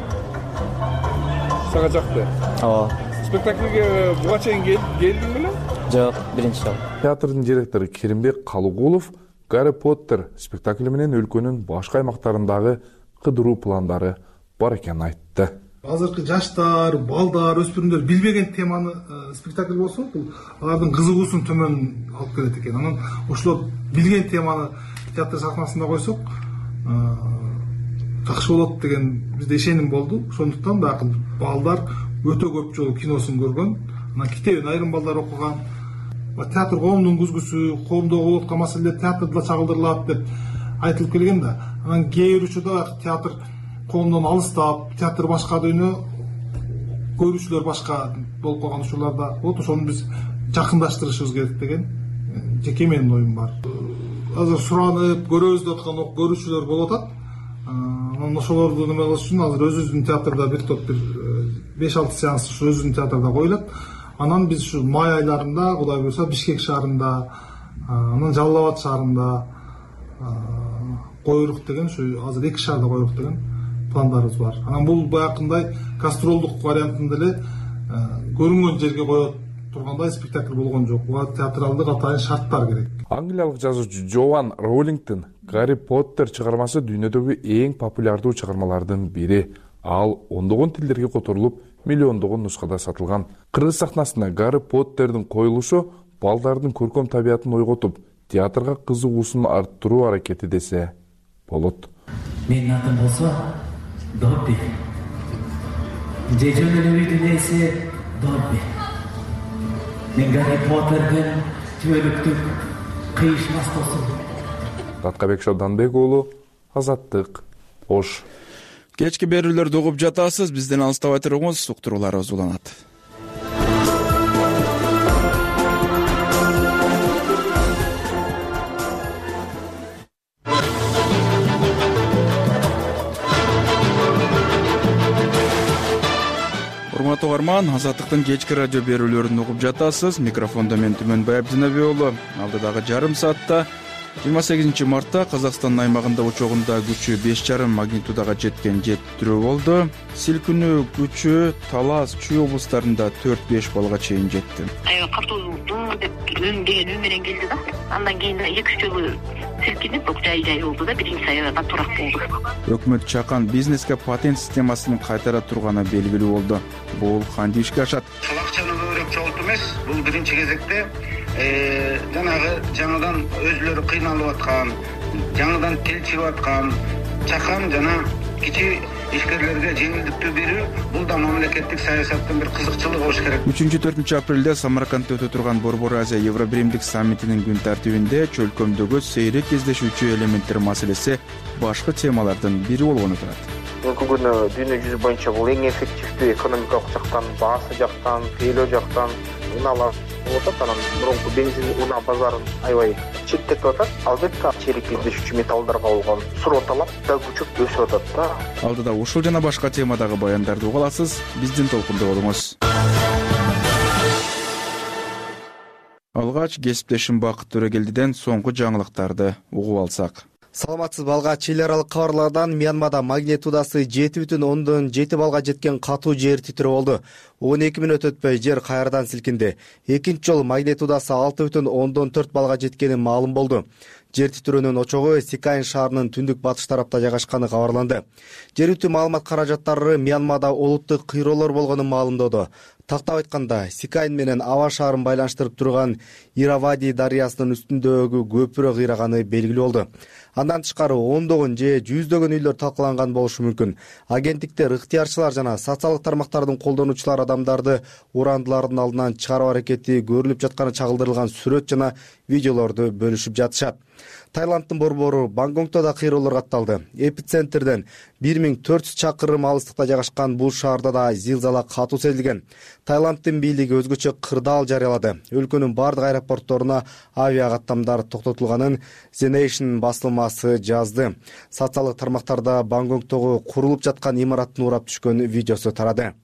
Сага жакты? Ооба. Спектаклге буга чейин келдиң беле? Жок, биринчи жолу. Театрдын директору Керимбек Калыгулов Гарри Поттер спектакли менен өлкөнүн башка аймактарындагы кыдыруу пландары бар экенин айтты. Азыркы жаштар, балдар, өспүрүмдөр билбеген теманы спектакль болсо, бул алардын кызыгуусун төмөн алып келет экен. Анан ошолор билген теманы театр сахнасында койсок, жакшы болот деген бизде ишеним болду. Ошондуктан дагы балдар өтө көп жолу киносун көргөн, анан китебин айрым балдар окуган. Театр коомдун күзгүсү, коомдо болуп аткан маселелер театрда чагылдырылат деп айтылып келген да. Анан кээ бир учурда театр коомдон алыстап, театр башка дүйнө, көрүүчүлөр башка болуп калган учурларда болот. Ошону биз жакындаштырышыбыз керек деген жеке менин оюм бар. Азыр суранып, көрөбүз деп аткан көрүүчүлөр болуп атат. Анан ошолорду неме кылыш үчүн азыр өзүбүздүн театрда бир топ бир беш алты сеанс ушу өзүбүздүн театрда коюлат. Анан биз ушу май айларында, Кудай буйруса, Бишкек шаарында, анан Жалал Абад шаарында коюрук деген, ушу азыр эки шаарда коюрук деген пландарыбыз бар. Анан бул баягындай гастролдук вариантында эле көрүнгөн жерге коё тургандай спектакль болгон жок. Буга театралдык атайын шарттар керек. Англиялык жазуучу Джоан Роулингтон Гарри Поттер чыгармасы дүйнөдөгү эң популярдуу чыгармалардын бири. Ал ондогон тилдерге которулуп, миллиондогон нускада сатылган. Кыргыз сахнасында Гарри Поттердин коюлушу балдардын көркөм табиятын ойготуп, театрга кызыгуусун арттыруу аракети десе болот. Менин атым болсо Добби. Же жөн эле үйдүн ээси Добби. Мен Гарри Поттердин түбөлүктүк кыйышмас болсун. Даткабек Шабданбек уулу, Азаттык, Ош. Кечки берүүлөрдү угуп жатасыз, бизден алыстабай туруңуз, уктурууларыбыз уланат. Урматтуу угарман, Азаттыктын кечки радио берүүлөрүн угуп жатасыз. Микрофондо мен Түмөнбай Абдинаби уулу. Алдыдагы жарым саатта жыйырма сегизинчи мартта Казакстандын аймагында учогунда күчү беш жарым магнитудага жеткен жер титирөө болду. Силкинүү күчү Талас, Чүй облустарында төрт беш балга чейин жетти. Аябай катуу деп деген үн менен келди да. Андан кийин эки үч жолу силкинип, жай-жай болду да, биринчи аябай катуураак болду. Өкмөт чакан бизнеске патент системасын кайтара турганы белгилүү болду. Бул кантип ишке ашат? Ал акчаны көбүрөөк жоготуу эмес, бул биринчи кезекте жанагы жаңыдан өзүлөрү кыйналып аткан, жаңыдан тил чыгып аткан чакан жана кичи ишкерлерге жеңилдиктүү берүү, бул да мамлекеттик саясаттын бир кызыкчылыгы болуш керек. үчүнчү төртүнчү апрелде Самаркандда өтө турган Борбор Азия Евробиримдик саммитинин күн тартибинде чөлкөмдөгү сейрек кездешүүчү элементтер маселеси башкы темалардын бири болгону турат. Бүгүнкү күнү дүйнө жүзү боюнча бул эң эффективдүү экономикалык жактан, баасы жактан, тейлөө жактан унаалар болуп атат. Анан мурунку бензин унаа базарын аябай четтетип атат. Албетте чейрек кездешүүчү металлдарга болгон суроо талап да күчөп өсүп атат да. Алдыда ушул жана башка темадагы баяндарды уга аласыз. Биздин толкунда болуңуз. Алгач кесиптешим Бакыт Төрөгелдиден соңку жаңылыктарды угуп алсак. Саламатсызбы, алгач эл аралык кабарлардан Мьянмада магнитудасы жети бүтүн ондон жети балга жеткен катуу жер титирөө болду. он эки мүнөт өтпөй жер кайрадан силкинди. Экинчи жолу магнитудасы алты бүтүн ондон төрт балга жеткени маалым болду. Жер титирөөнүн очогу Сикайн шаарынын түндүк батыш тарапта жайгашканы кабарланды. Жергиликтүү маалымат каражаттары Мьянмада олуттук кыйроолор болгонун маалымдоодо. Тактап айтканда, Сикайн менен Ава шаарын байланыштырып турган Иравади дарыясынын үстүндөгү көпүрө кыйраганы белгилүү болду. Андан тышкары ондогон же жүздөгөн үйлөр талкаланган болушу мүмкүн. Агенттиктер, ыктыярчылар жана социалдык тармактардын колдонуучулары адамдарды урандылардын алдынан чыгаруу аракети көрүлүп жатканы чагылдырылган сүрөт жана видеолорду бөлүшүп жатышат. Таиланддын борбору Бангкокто да кыйроолор катталды. Эпицентрден бир миң төрт жүз чакырым алыстыкта жайгашкан бул шаарда да зилзала катуу сезилген. Таиланддын бийлиги өзгөчө кырдаал жарыялады. Өлкөнүн бардык аэропортторуна авиа каттамдар токтотулганын The Nation басылмасы жазды. Социалдык тармактарда Бангкоктогу курулуп жаткан имараттын урап түшкөн видеосу тарады.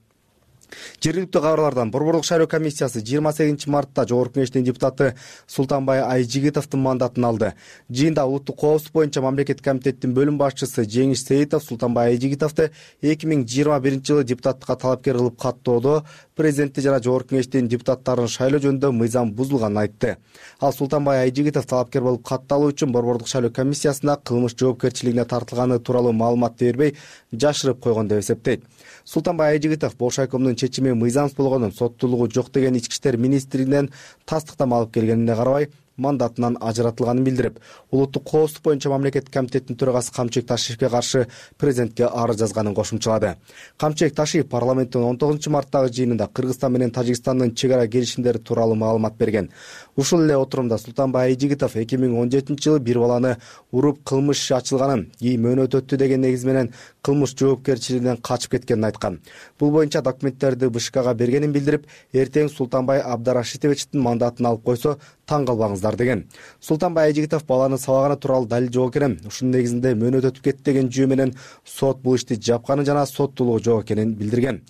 Жергиликтүү кабарлардан Борборлук шайлоо комиссиясы жыйырма сегизинчи мартта Жогорку Кеңештин депутаты Султанбай Айжигитовдун мандатын алды. Жыйында улуттук коопсуздук боюнча мамлекеттик комитеттин бөлүм башчысы Жеңиш Сейитов Султанбай Айжигитовду эки миң жыйырма биринчи жылы депутаттыкка талапкер кылып каттоодо президенти жана Жогорку Кеңештин депутаттарын шайлоо жөнүндө мыйзам бузулганын айтты. Ал Султанбай Айжигитов талапкер болуп катталуу үчүн Борборлук шайлоо комиссиясына кылмыш жоопкерчилигине тартылганы тууралуу маалыматты бербей жашырып койгон деп эсептейт. Султанбай Айжигитов Болшайкомдун чечими мыйзамсыз болгонун, соттуулугу жок деген ички иштер министрлигинен тастыктама алып келгенине карабай мандатынан ажыратылганын билдирип, улуттук коопсуздук боюнча мамлекеттик комитеттин төрагасы Камчек Ташиевке каршы президентке арыз жазганын кошумчалады. Камчек Ташиев парламенттин он тогузунчу марттагы жыйынында Кыргызстан менен Тажикстандын чек ара келишимдери тууралуу маалымат берген. Ушул эле отурумда Султанбай Айжигитов эки миң он жетинчи жылы бир баланы уруп кылмыш иши ачылганын, кийин мөөнөт өттү деген негиз менен кылмыш жоопкерчилигинен качып кеткенин айткан. Бул боюнча документтерди БШКга бергенин билдирип, эртең Султанбай Абдарашитовичтин мандатын алып койсо таң калбаңыздар деген. Султанбай Айжигитов баланы сабаганы тууралуу далил жок экенин, ушунун негизинде мөөнөт өтүп кетти деген жүйө менен сот бул ишти жапканын жана соттуулугу жок экенин билдирген.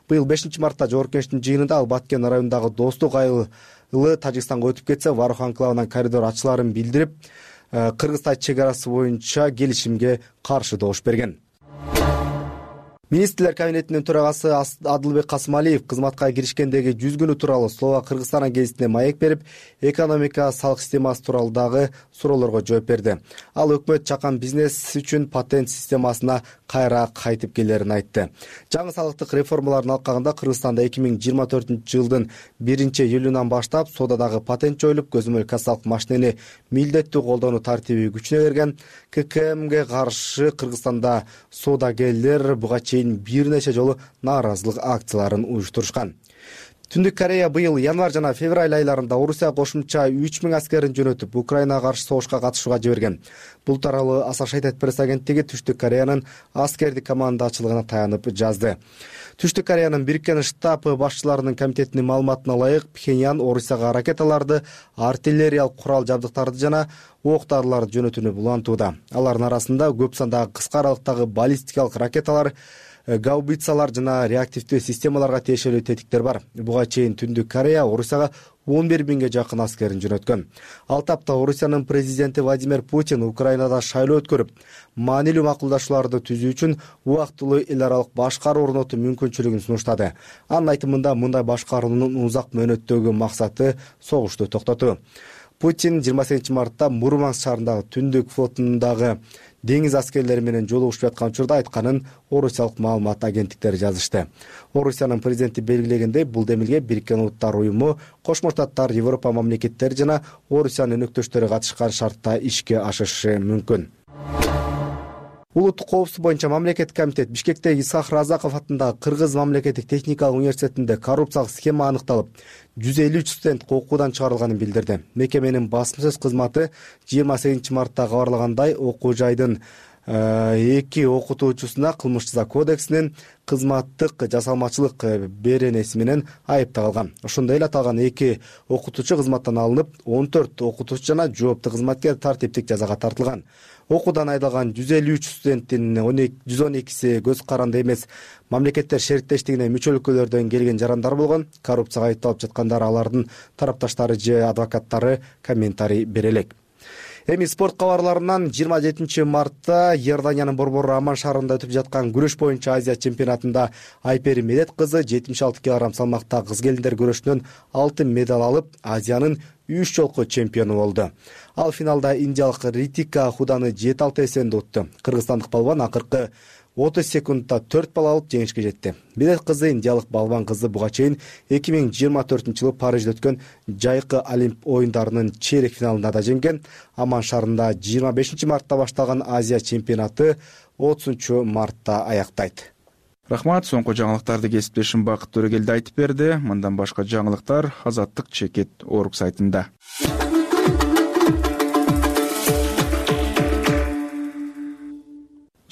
Быйыл бешинчи мартта Жогорку Кеңештин жыйынында ал Баткен районундагы Достук айылы Тажикстанга өтүп кетсе, Варух анклавынан коридор ачыларын билдирип, Кыргыз-Таж чек арасы боюнча келишимге каршы добуш берген. Министрлер кабинетинин төрагасы Адылбек Касымалиев кызматка киришкендеги жүз күнү тууралуу Словак-Кыргызстан гезитине маек берип, экономика салык системасы тууралуу дагы суроолорго жооп берди. Ал өкмөт чакан бизнес үчүн патент системасына кайра кайтып келерин айтты. Жаңы салыктык реформалардын алкагында Кыргызстанда эки миң жыйырма төртүнчү жылдын биринчи июлунан баштап соодадагы патент жоюлуп, көзөмөл кассалык машинени милдеттүү колдонуу тартиби күчүнө кирген. К К Мге каршы Кыргызстанда соодагерлер буга чейин бир нече жолу нааразылык акцияларын уюштурушкан. Түндүк Корея быйыл январь жана февраль айларында Орусия кошумча үч миң аскерин жөнөтүп, Украинага каршы согушка катышууга жиберген. Бул тууралуу Associated Press агенттиги Түштүк Кореянын аскердик командачылыгына таянып жазды. Түштүк Кореянын Бириккен штаб башчыларынын комитетинин маалыматына ылайык, Пхеньян Орусияга ракеталарды, артиллериялык курал жабдыктарды жана ок-дарыларды жөнөтүүнү улантууда. Алардын арасында көп сандагы кыска аралыктагы баллистикалык ракеталар, гаубицалар жана реактивдүү системаларга тиешелүү тетиктер бар. Буга чейин Түндүк Корея Орусияга он бир миңге жакын аскерин жөнөткөн. Ал тапта Орусиянын президенти Владимир Путин Украинада шайлоо өткөрүп, маанилүү макулдашууларды түзүү үчүн убактылуу эл аралык башкаруу орнотуу мүмкүнчүлүгүн сунуштады. Анын айтымында мындай башкаруунун узак мөөнөттөгү максаты согушту токтотуу. Путин жыйырма сегизинчи мартта Мурманск шаарындагы Түндүк флотундагы деңиз аскерлери менен жолугушуп жаткан учурда айтканын орусиялык маалымат агенттиктери жазышты. Орусиянын президенти белгилегендей, бул демилге Бириккен Улуттар уюму, Кошмо Штаттар, Европа мамлекеттери жана Орусиянын өнөктөштөрү катышкан шартта ишке ашышы мүмкүн. Улуттук коопсуздук боюнча мамлекеттик комитет Бишкектеги Исах Разаков атындагы Кыргыз мамлекеттик техникалык университетинде коррупциялык схема аныкталып, жүз элүү үч студент окуудан чыгарылганын билдирди. Мекеменин басма сөз кызматы жыйырма сегизинчи мартта кабарлагандай, окуу жайдын эки окутуучусуна кылмыш жаза кодексинин кызматтык жасалмачылык беренеси менен айыпталган. Ошондой эле аталган эки окутуучу кызматтан алынып, он төрт окутуучу жана жооптуу кызматкер тартиптик жазага тартылган. Окуудан айдалган жүз элүү үч студенттин жүз он экиси көз каранды эмес, мамлекеттер шериктештигине мүчө өлкөлөрдөн келген жарандар болгон. Коррупцияга айыпталып жаткандар алардын тарапташтары же адвокаттары комментарий бере элек. Эми спорт кабарларынан жыйырма жетинчи мартта Иорданиянын борбору Аман шаарында өтүп жаткан күрөш боюнча Азия чемпионатында Айпери Медет кызы жетимиш алты килограмм салмакта кыз келиндер күрөшүнөн алтын медаль алып, Азиянын үч жолку чемпиону болду. Ал финалда индиялык Ритика Худаны жети алты эсебинде утту. Кыргызстандык балбан акыркы отуз секундда төрт балл алып жеңишке жетти. Медет кызы индиялык балбан кызы буга чейин эки миң жыйырма төртүнчү жылы Парижде өткөн жайкы Олимп оюндарынын чейрек финалында да жеңген. Аман шаарында жыйырма бешинчи мартта башталган Азия чемпионаты отузунчу мартта аяктайт. Рахмат, соңку жаңылыктарды кесиптешим Бакыт Төрөгелди айтып берди. Мындан башка жаңылыктар Азаттык чекит орг сайтында.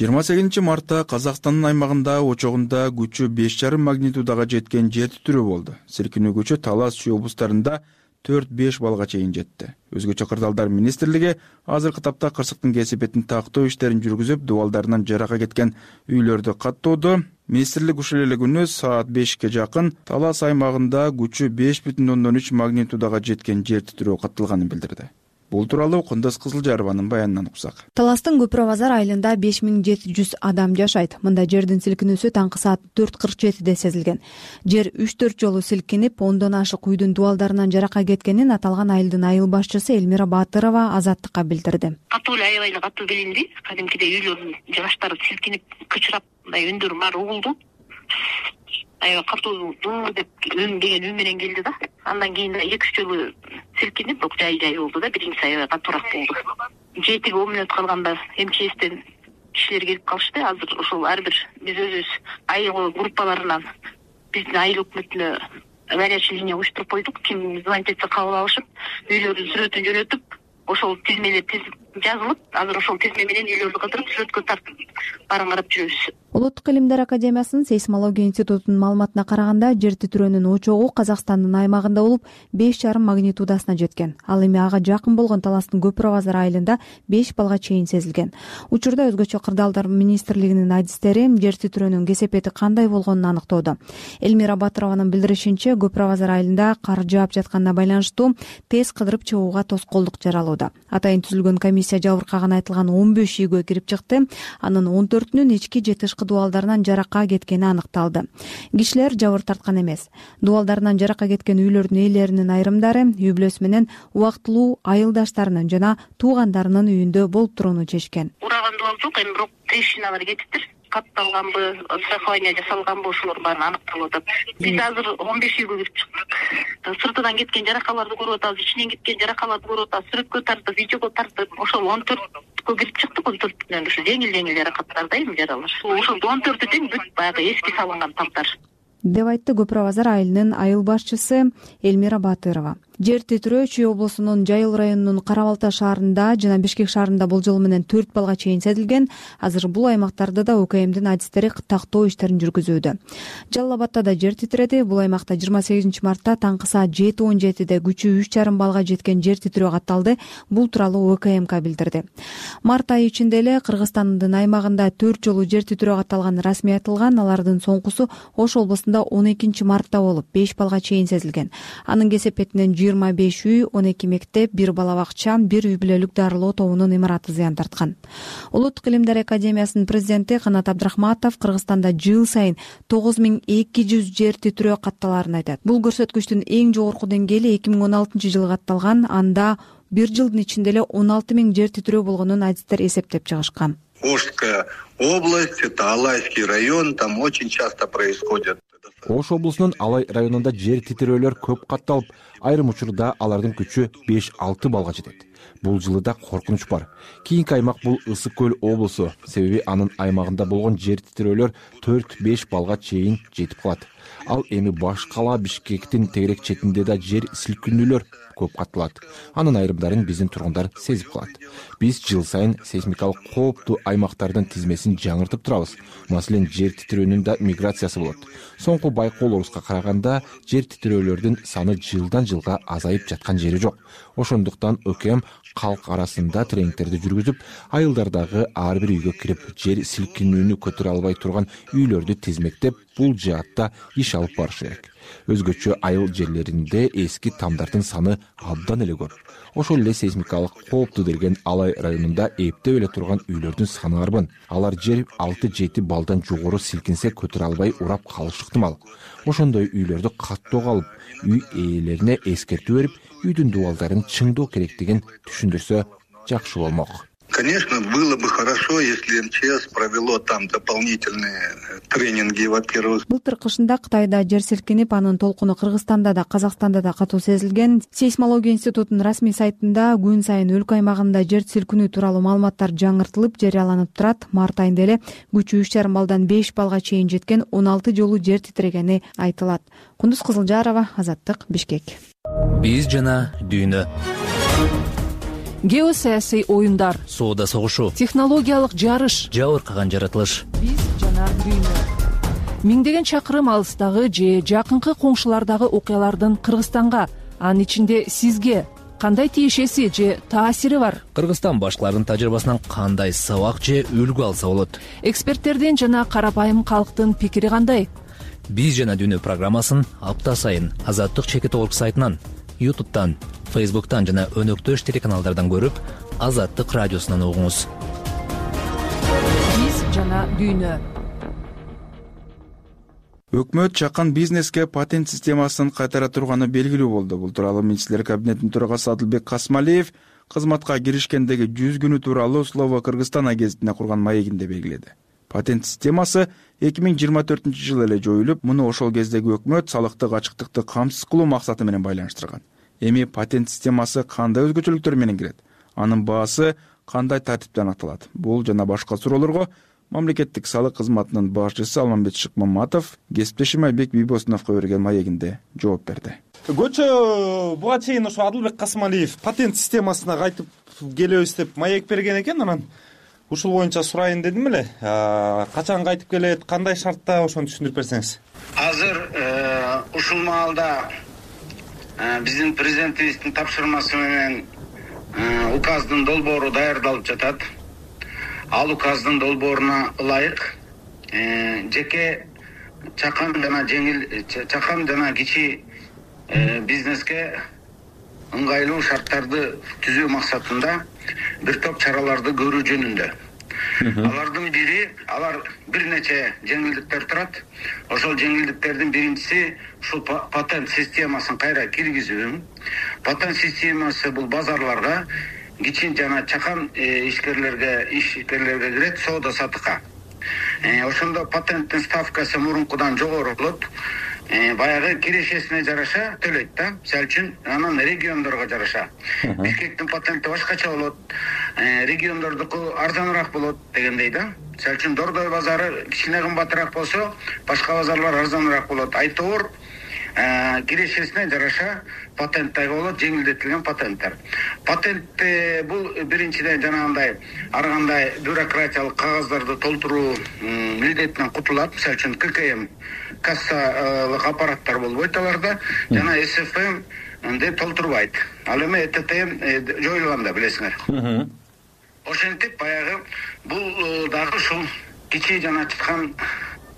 жыйырма сегизинчи мартта Казакстандын аймагында очогунда күчү беш жарым магнитудага жеткен жер титирөө болду. Силкинүү күчү Талас Чүй облустарында төрт беш баллга чейин жетти. Өзгөчө Кырдаалдар министрлиги азыркы тапта кырсыктын кесипетин тактоо иштерин жүргүзүп, дубалдарынан жарака кеткен үйлөрдү каттоодо. Министрлик ушул эле күнү саат бешке жакын Талас аймагында күчү беш бүтүн ондон үч магнитудага жеткен жер титирөө катталганын билдирди. Бул тууралуу Кундуз Кызылжарованын баянынан уксак. Таластын Көпүрө базар айылында беш миң жети жүз адам жашайт. Мында жердин силкинүүсү таңкы саат төрт кырк жетиде сезилген. Жер үч төрт жолу силкинип, ондон ашык үйдүн дубалдарынан жарака кеткенин аталган айылдын айыл башчысы Элмира Батырова Азаттыкка билдирди. Катуу эле аябай эле катуу билинди. Кадимкидей үйлөрдүн жыгачтары силкинип, кычырап, мындай үндөр баары угулду. Аябай катуу дуу деп үн деген үн менен келди да. Андан кийин эки үч жолу силкинип, бирок жай-жай болду да, биринчиси аябай катуураак болду. жетиге он мүнөт калганда МЧСтен кишилер келип калышты. Азыр ошол ар бир биз өзүбүз айыл группаларынан биздин айыл өкмөтүнө горячий линия уюштуруп койдук. Ким звонить этсе кабыл алышып, үйлөрдүн сүрөтүн жөнөтүп, ошол тизмелер жазылып, азыр ошол тизме менен үйлөрдү кыдырып, сүрөткө тартып баарын карап жүрөбүз. Улуттук илимдер академиясынын сейсмология институтунун маалыматына караганда, жер титирөөнүн очогу Казакстандын аймагында болуп, беш жарым магнитудасына жеткен. Ал эми ага жакын болгон Таластын Көпүрө базар айылында беш баллга чейин сезилген. Учурда өзгөчө Кырдаалдар министрлигинин адистери жер титирөөнүн кесепети кандай болгонун аныктоодо. Элмира Батырованын билдиришинче, Көпүрө базар айылында кар жаап жатканына байланыштуу тез кыдырып чыгууга тоскоолдук жаралууда. Атайын түзүлгөн комиссия жабыркаган айтылган он беш үйгө кирип чыкты. Анын он төртүнүн ички же тышкы дубалдарынан жарака кеткени аныкталды. Кишилер жабыр тарткан эмес. Дубалдарынан жарака кеткен үйлөрдүн ээлеринин айрымдары үй бүлөсү менен убактылуу айылдаштарынын жана туугандарынын үйүндө болуп турууну чечкен. Ураган дубал жок, эми бирок трещиналар кетиптир. Катталганбы, страхование жасалганбы, ошолор баары аныкталып атат. Биз азыр он беш үйгө кирип чыктык. Сыртынан кеткен жаракаларды көрүп атабыз, ичинен кеткен жаракаларды көрүп атабыз. Сүрөткө тартып, видеого тартып, ошол он төрткө кирип чыктык. он төртүнөн ошо жеңил-жеңил жаракаттар да, эми жаралар. Ошол он төртү тең бүт баягы эски салынган тамдар. деп айтты Көпүрө базар айылынын айыл башчысы Элмира Батырова. Жер титирөө Чүй облусунун Жайыл районунун Кара Балта шаарында жана Бишкек шаарында болжол менен төрт балга чейин сезилген. Азыр бул аймактарда да УКМдин адистери тактоо иштерин жүргүзүүдө. Жалал Абадта да жер титиреди. Бул аймакта жыйырма сегизинчи мартта таңкы саат жети он жетиде күчү үч жарым балга жеткен жер титирөө катталды. Бул тууралуу УКМК билдирди. Март айы ичинде эле Кыргызстандын аймагында төрт жолу жер титирөө катталганы расмий айтылган. Алардын соңкусу Ош облусунда он экинчи мартта болуп, беш балга чейин сезилген. Анын кесепетинен жыйырма беш үй, он эки мектеп, бир бала бакча, бир үй бүлөлүк дарылоо тобунун имараты зыян тарткан. Улуттук илимдер академиясынын президенти Канат Абдрахматов Кыргызстанда жыл сайын тогуз миң эки жүз жер титирөө катталарын айтат. Бул көрсөткүчтүн эң жогорку деңгээли эки миң он алтынчы жылы катталган. Анда бир жылдын ичинде эле он алты миң жер титирөө болгонун адистер эсептеп чыгышкан. Ошская область, это Алайский район, там очень часто происходят. Ош облусунун Алай районунда жер титирөөлөр көп катталып, айрым учурда алардын күчү беш алты балга жетет. Бул жылы да коркунуч бар. Кийинки аймак бул Ысык көл облусу, себеби анын аймагында болгон жер титирөөлөр төрт беш балга чейин жетип калат. Ал эми баш кала Бишкектин тегерек четинде да жер силкинүүлөр көп катталат. Анын айрымдарын биздин тургундар сезип калат. Биз жыл сайын сейсмикалык кооптуу аймактардын тизмесин жаңыртып турабыз. Маселен, жер титирөөнүн да миграциясы болот. Соңку байкоол орусска караганда жер титирөөлөрдүн саны жылдан жылга азайып жаткан жери жок. Ошондуктан УКМ калк арасында тренингтерди жүргүзүп, айылдардагы ар бир үйгө кирип, жер силкинүүнү көтөрө албай турган үйлөрдү тизмектеп, бул жаатта иш алып барыш керек. Өзгөчө айыл жерлеринде эски тамдардын саны абдан эле көп. Ошол эле сейсмикалык кооптуу делген Алай районунда эптеп эле турган үйлөрдүн саны арбын. Алар жер алты жети балдан жогору силкинсе көтөрө албай урап калышы ыктымал. Ошондой үйлөрдү каттоого алып, үй ээлерине эскертүү берип, үйдүн дубалдарын чыңдоо керектигин түшүндүрсө жакшы болмок. Конечно, было бы хорошо, если МЧС провело там дополнительные тренинги, во-первых. Былтыр кышында Кытайда жер силкинип, анын толкуну Кыргызстанда да, Казакстанда да катуу сезилген. Сейсмология институтунун расмий сайтында күн сайын өлкө аймагында жер силкинүү тууралуу маалыматтар жаңыртылып, жарыяланып турат. Март айында эле күчү үч жарым балдан беш балга чейин жеткен он алты жолу жер титирегени айтылат. Кундуз Кызылжарова, Азаттык, Бишкек. Биз жана дүйнө. Геосаясий оюндар, соода согушу, технологиялык жарыш, жабыркаган жаратылыш. Биз жана дүйнө. Миңдеген чакырым алыстагы же жакынкы коңшулардагы окуялардын Кыргызстанга, анын ичинде сизге кандай тиешеси же таасири бар? Кыргызстан башкалардын тажрыйбасынан кандай сабак же үлгү алса болот? Эксперттердин жана карапайым калктын пикири кандай? Биз жана дүйнө программасын апта сайын Азаттык чекит орг сайтынан, ютубтан, фейсбуктан жана өнөктөш телеканалдардан көрүп, Азаттык радиосунан угуңуз. Биз жана дүйнө. Өкмөт чакан бизнеске патент системасын кайтара турганы белгилүү болду. Бул тууралуу Министрлер кабинетинин төрагасы Адылбек Касмалиев кызматка киришкендеги жүз күнү тууралуу Слово Кыргызстан агенттигине курган маегинде белгиледи. Патент системасы эки миң жыйырма төртүнчү жылы эле жоюлуп, муну ошол кездеги өкмөт салыктык ачыктыкты камсыз кылуу максаты менен байланыштырган. Эми патент системасы кандай өзгөчөлүктөр менен кирет? Анын баасы кандай тартипте анықталат? Бул жана башка суроолорго мамлекеттик салык кызматынын башчысы Алмамбет Шыкмаматов кесиптешим Айбек Бийбосуновго берген маегинде жооп берди. Көчө буга чейин ошо Адылбек Касмалиев патент системасына кайтып келебиз деп маек берген экен. Анан ушул боюнча сурайын дедим эле. Качан кайтып келет, кандай шартта, ошону түшүндүрүп берсеңиз. Азыр ушул маалда биздин президентибиздин тапшырмасы менен указдын долбоору даярдалып жатат. Ал указдын долбооруна ылайык жеке чакан жана жеңил чакан жана кичи бизнеске ыңгайлуу шарттарды түзүү максатында бир топ чараларды көрүү жөнүндө. Алардын бири, алар бир нече жеңилдиктер турат. Ошол жеңилдиктердин биринчиси ушул патент системасын кайра киргизүү. Патент системасы бул базарларга, кичи жана чакан ишкерлерге, ишкерлерге кирет, соода сатыкка. Ошондо патенттин ставкасы мурункудан жогору болот. баягы кирешесине жараша төлөйт да. Мисалы үчүн анан региондорго жараша Бишкектин патенти башкача болот, региондордуку арзаныраак болот дегендей да. Мисалы үчүн Дордой базары кичине кымбатыраак болсо, башка базарлар арзаныраак болот. Айтор кирешесине жараша патенттер болот, жеңилдетилген патенттер. Патент бул биринчиден жанагындай ар кандай бюрократиялык кагаздарды толтуруу милдетинен кутулат. Мисалы үчүн ККМ кассалык аппараттар болбойт аларда, жана эс эф эм деп толтурбайт. Ал эми Т Т М жоюлган да, билесиңер. Ошентип баягы бул дагы ушул кичи жана чыккан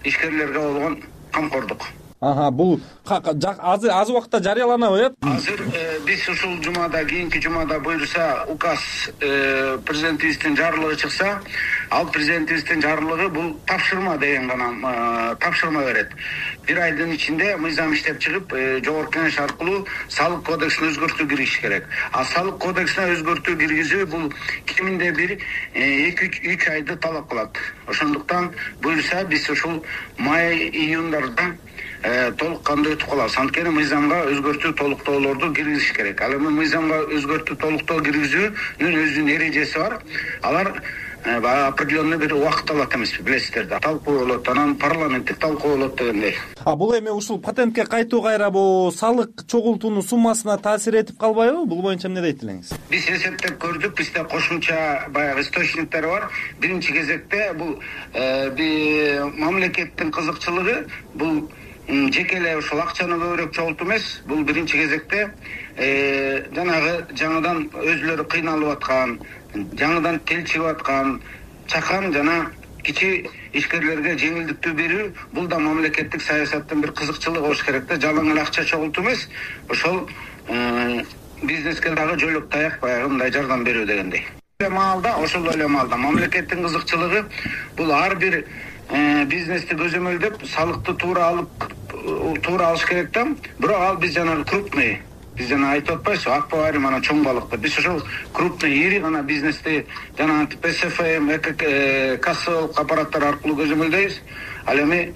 ишкерлерге болгон камкордук. Ага, бул азыр аз убакытта жарыяланабы, э? Азыр биз ушул жумада, кийинки жумада буйруса, указ президентибиздин жарлыгы чыкса, ал президентибиздин жарлыгы бул тапшырма деген гана тапшырма берет. Бир айдын ичинде мыйзам иштеп чыгып, жогорку кеңеш аркылуу салык кодексине өзгөртүү киргизиш керек. А салык кодексине өзгөртүү киргизүү бул киминде бир эки үч айды талап кылат. Ошондуктан буйруса биз ушул май июндарда толук кандуу өтүп калабыз. Анткени мыйзамга өзгөртүү толуктоолорду киргизиш керек. Ал эми мыйзамга өзгөртүү толуктоо киргизүүнүн өзүнүн эрежеси бар. Алар определенный бир убакыт алат эмеспи, билесиздер да. Талкуу болот, анан парламенттик талкуу болот дегендей. А бул эми ушул патентке кайтуу кайра бул салык чогултуунун суммасына таасир этип калбайбы? Бул боюнча эмне дейт элеңиз? Биз эсептеп көрдүк, бизде кошумча баягы источниктер бар. Биринчи кезекте бул мамлекеттин кызыкчылыгы бул жеке эле ушул акчаны көбүрөөк чогултуу эмес, бул биринчи кезекте жанагы жаңыдан өзүлөрү кыйналып аткан, жаңыдан тил чыгып аткан чакан жана кичи ишкерлерге жеңилдиктүү берүү, бул да мамлекеттик саясаттын бир кызыкчылыгы болуш керек да. Жалаң эле акча чогултуу эмес, ошол бизнеске дагы жойлук таяк баягы мындай жардам берүү дегендей. Маалда, ошол эле маалда мамлекеттин кызыкчылыгы бул ар бир бизнести көзөмөлдөп, салыкты туура алып, туура алыш керек да. Бирок ал биз жанагы крупный, биз жана айтып атпайбызбы, акбари мана чоң балыкты. Биз ошол крупный, ири гана бизнести жана эс эф эм, кассалык аппараттар аркылуу көзөмөлдөйбүз. Ал эми